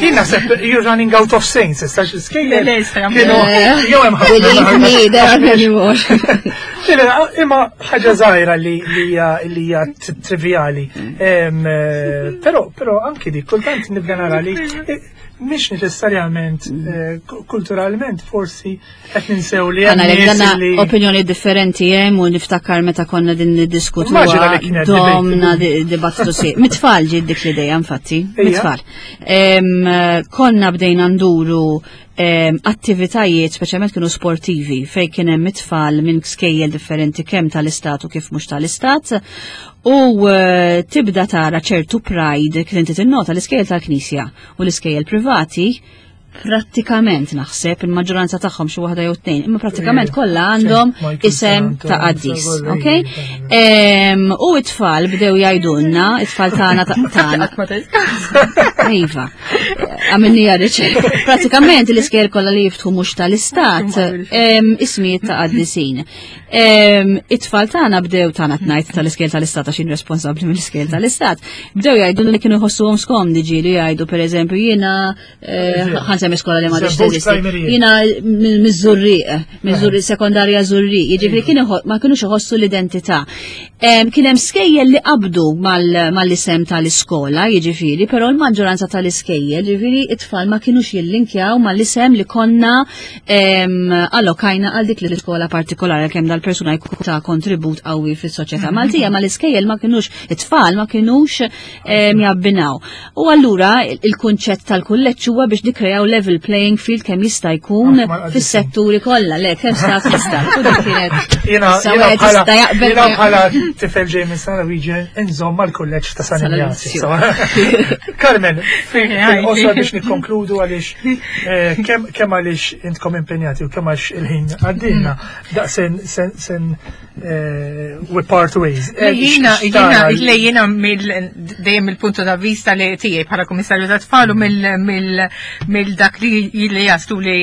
Jien naħseb you're running out of saints, issa xi skejjel. Le, issa Kienu jew hemm ħafna. Believe me, there are many more. Imma ħaġa żgħira li hija li hija trivjali. Però anki dik kultant nibda nara li mhix neċessarjament kulturalment forsi qed ninsew li hemm nies li opinjoni differenti hemm u niftakar meta konna din niddiskutu Immaġina li kienet domna dibattitu si. Mit-tfal ġiet dik l-idea infatti, mit-tfal. Konna bdejna nduru attivitajiet speċjalment kienu sportivi fejn kien hemm it-tfal minn skejjel differenti kemm tal-istat u kif mhux tal-istat u tibda tara ċertu pride kif inti tinnota l-iskejjel tal-Knisja u l-iskejjel privati prattikament naħseb il-maġġoranza tagħhom xi waħda jew tnejn, imma prattikament kollha għandhom isem ta' qaddis, ok? U it-tfal bdew jgħidulna, it-tfal tagħna tagħna. Iva, għamilni riċerka. Prattikament l-iskejjel kollha li jiftħu mhux tal-istat, ismijiet ta' qaddisin. It-tfal tagħna bdew tagħna tnajt tal-iskejjel tal-istat għax jien responsabbli mill-iskejjel tal-istat, bdew jgħidu li kienu jħossuhom skomdi ġieli jgħidu pereżempju jiena ħa nsemmi skola li ma teżisti. Jiena miż-Żurrieq, miż-Żurrieq sekondarja Żurrieq, jiġifieri kien ma kinux iħossu l-identità. Kien hemm skejjel li qabdu mal-isem tal-iskola, jiġifieri, però l-maġġoranza tal-iskejjel, jiġifieri it-tfal ma kinux jillinkjaw mal-isem li konna allokajna għal dik l-iskola partikolari kemm dal-persuna jkun ta' kontribut qawwi fis-soċjetà Maltija, ma l-iskejjel ma kinux, it-tfal ma kinux jabbinaw. U allura il-kunċett tal-kulleġġ huwa biex nikkrejaw level playing field kemm jista' jkun fis-setturi kollha, le kemm stat tista'. U dik kienet. Jiena Issa wieħed jista' jaqbel jiena bħala tifel ġej minn San Luigi inżomm mal-kulleġġ ta' San San Ignazio. Ignazio. Carmen, fil-qosor biex nikkonkludu għaliex kemm għaliex intkom impenjati u kemm għax il-ħin għaddilna, daqsen sen we part ways. Jiena, le jiena dejjem mill-punto ta' vista li tiegħi bħala kummissarju ta' tfal u mill dak li jaslu li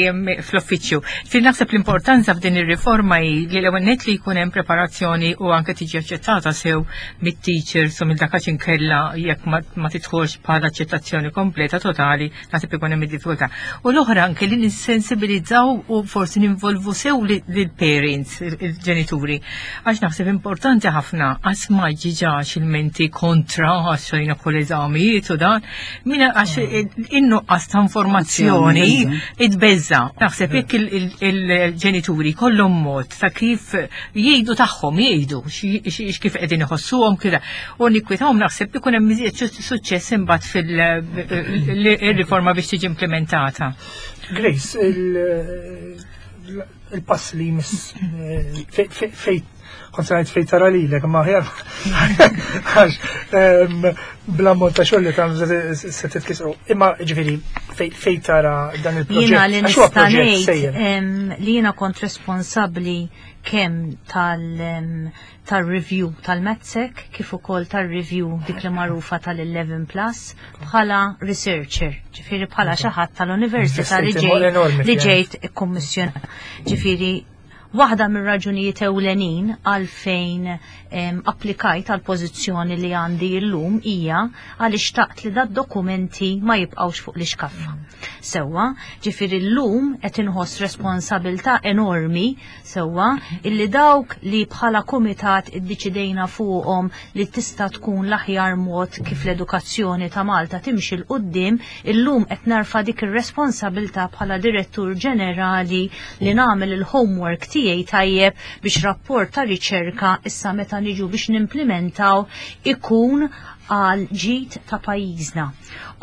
fl-uffiċċju. Fi naħseb l-importanza f'din ir-riforma hi li l-ewwel nett li jkun hemm preparazzjoni u anke tiġi aċċettata sew mit-teachers u mill dak għax inkella jekk ma tidħolx bħala aċċettazzjoni kompleta totali naħseb ikun hemm id-diffikultà. U l-oħra anke li nissensibilizzaw u forsi ninvolvu sew lill-parents, il-ġenituri. Għax naħseb importanti ħafna għax ma ġiġax il-menti kontra għax xejna kull eżamijiet u dan, minna għax in-nuqqas ta' informazzjoni id-beża. Naħseb jekk il-ġenituri kollhom mod ta' kif jgħidu tagħhom, jgħidu x'kif qegħdin iħossuhom kif u nikwitahom naħseb ikun hemm iżjed suċċess imbagħad fil-riforma biex tiġi implementata. Grace, il-pass li jmiss fej kont se ngħid fej tara lilek, ma aħjar għax bla mod ta' xogħol li tagħmlu se titkisru. Imma ġifieri fej tara dan il-proġett. Jiena li Għax huwa nista' proġett ngħid sejjer. li jiena kont responsabbli kemm tal-review tal-MATSEC kif ukoll tal-review dik li magħrufa tal-11 Plus bħala researcher, ġifieri bħala xi ħadd tal-università li Investiti enormi li fija. ġejt ikkummissjonata. Ġifieri waħda mir-raġunijiet ewlenin għalfejn applikajt għal pożizzjoni li għandi llum hija għaliex xtaqt li dad-dokumenti ma jibqgħux fuq l-iskaffa. Sewwa, ġifieri llum qed inħoss responsabilità enormi sewwa illi dawk li bħala kumitat iddeċidejna fuqhom li tista' tkun l-aħjar mod kif l-edukazzjoni ta' Malta timxi 'l quddiem, illum qed narfa dik ir-responsabilità bħala direttur ġenerali li nagħmel il-homework tiegħi tajjeb biex rapport ta' riċerka issa meta niġu biex nimplementaw ikun għal ġid ta' pajjiżna.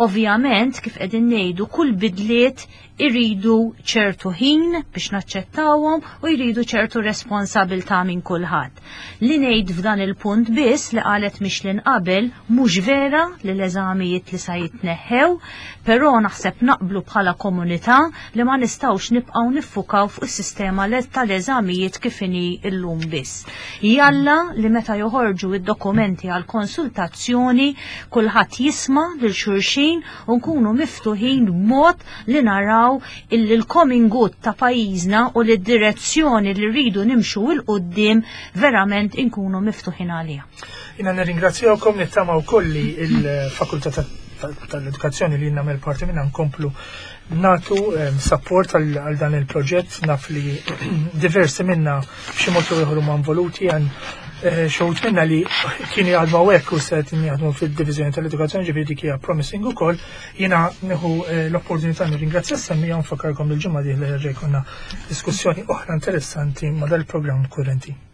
Ovvjament, kif qegħdin ngħidu, kull bidliet iridu ċertu ħin biex naċċettawhom u jridu ċertu responsabilità minn kulħadd. Li ngħid f'dan il-punt biss li qalet Michelin qabel mhux vera li l-eżamijiet li sa jitneħħew, però naħseb naqblu bħala komunità li ma nistgħux nibqgħu niffukaw fuq is-sistema tal-eżamijiet kif inhi llum biss. Jalla li meta joħorġu id-dokumenti għal konsultazzjoni kulħadd jisma' lil xulxin u nkunu miftuħin b'mod li naraw illi l-common good ta' pajjiżna u li d-direzzjoni li rridu nimxu 'l quddiem verament inkunu miftuħin għaliha. Jiena nirringrazzjawkom, nittama wkoll li il-Fakultà tal-Edukazzjoni li nagħmel parti minnha nkomplu natu support għal dan il-proġett. Naf li diversi minna b'xi mod jew ieħor huma involuti, għan xi minna li kienu jaħdmu hawnhekk u se jaħdmu fid-Diviżjoni tal-Edukazzjoni, ġifieri dik hija promising ukoll. Jiena nieħu l-opportunità nirringrazzja s-semmiegħa, nfakkarkom il-ġimgħa dieħla jerġa' jkollna diskussjoni oħra interessanti ma' dal-programm kurrenti.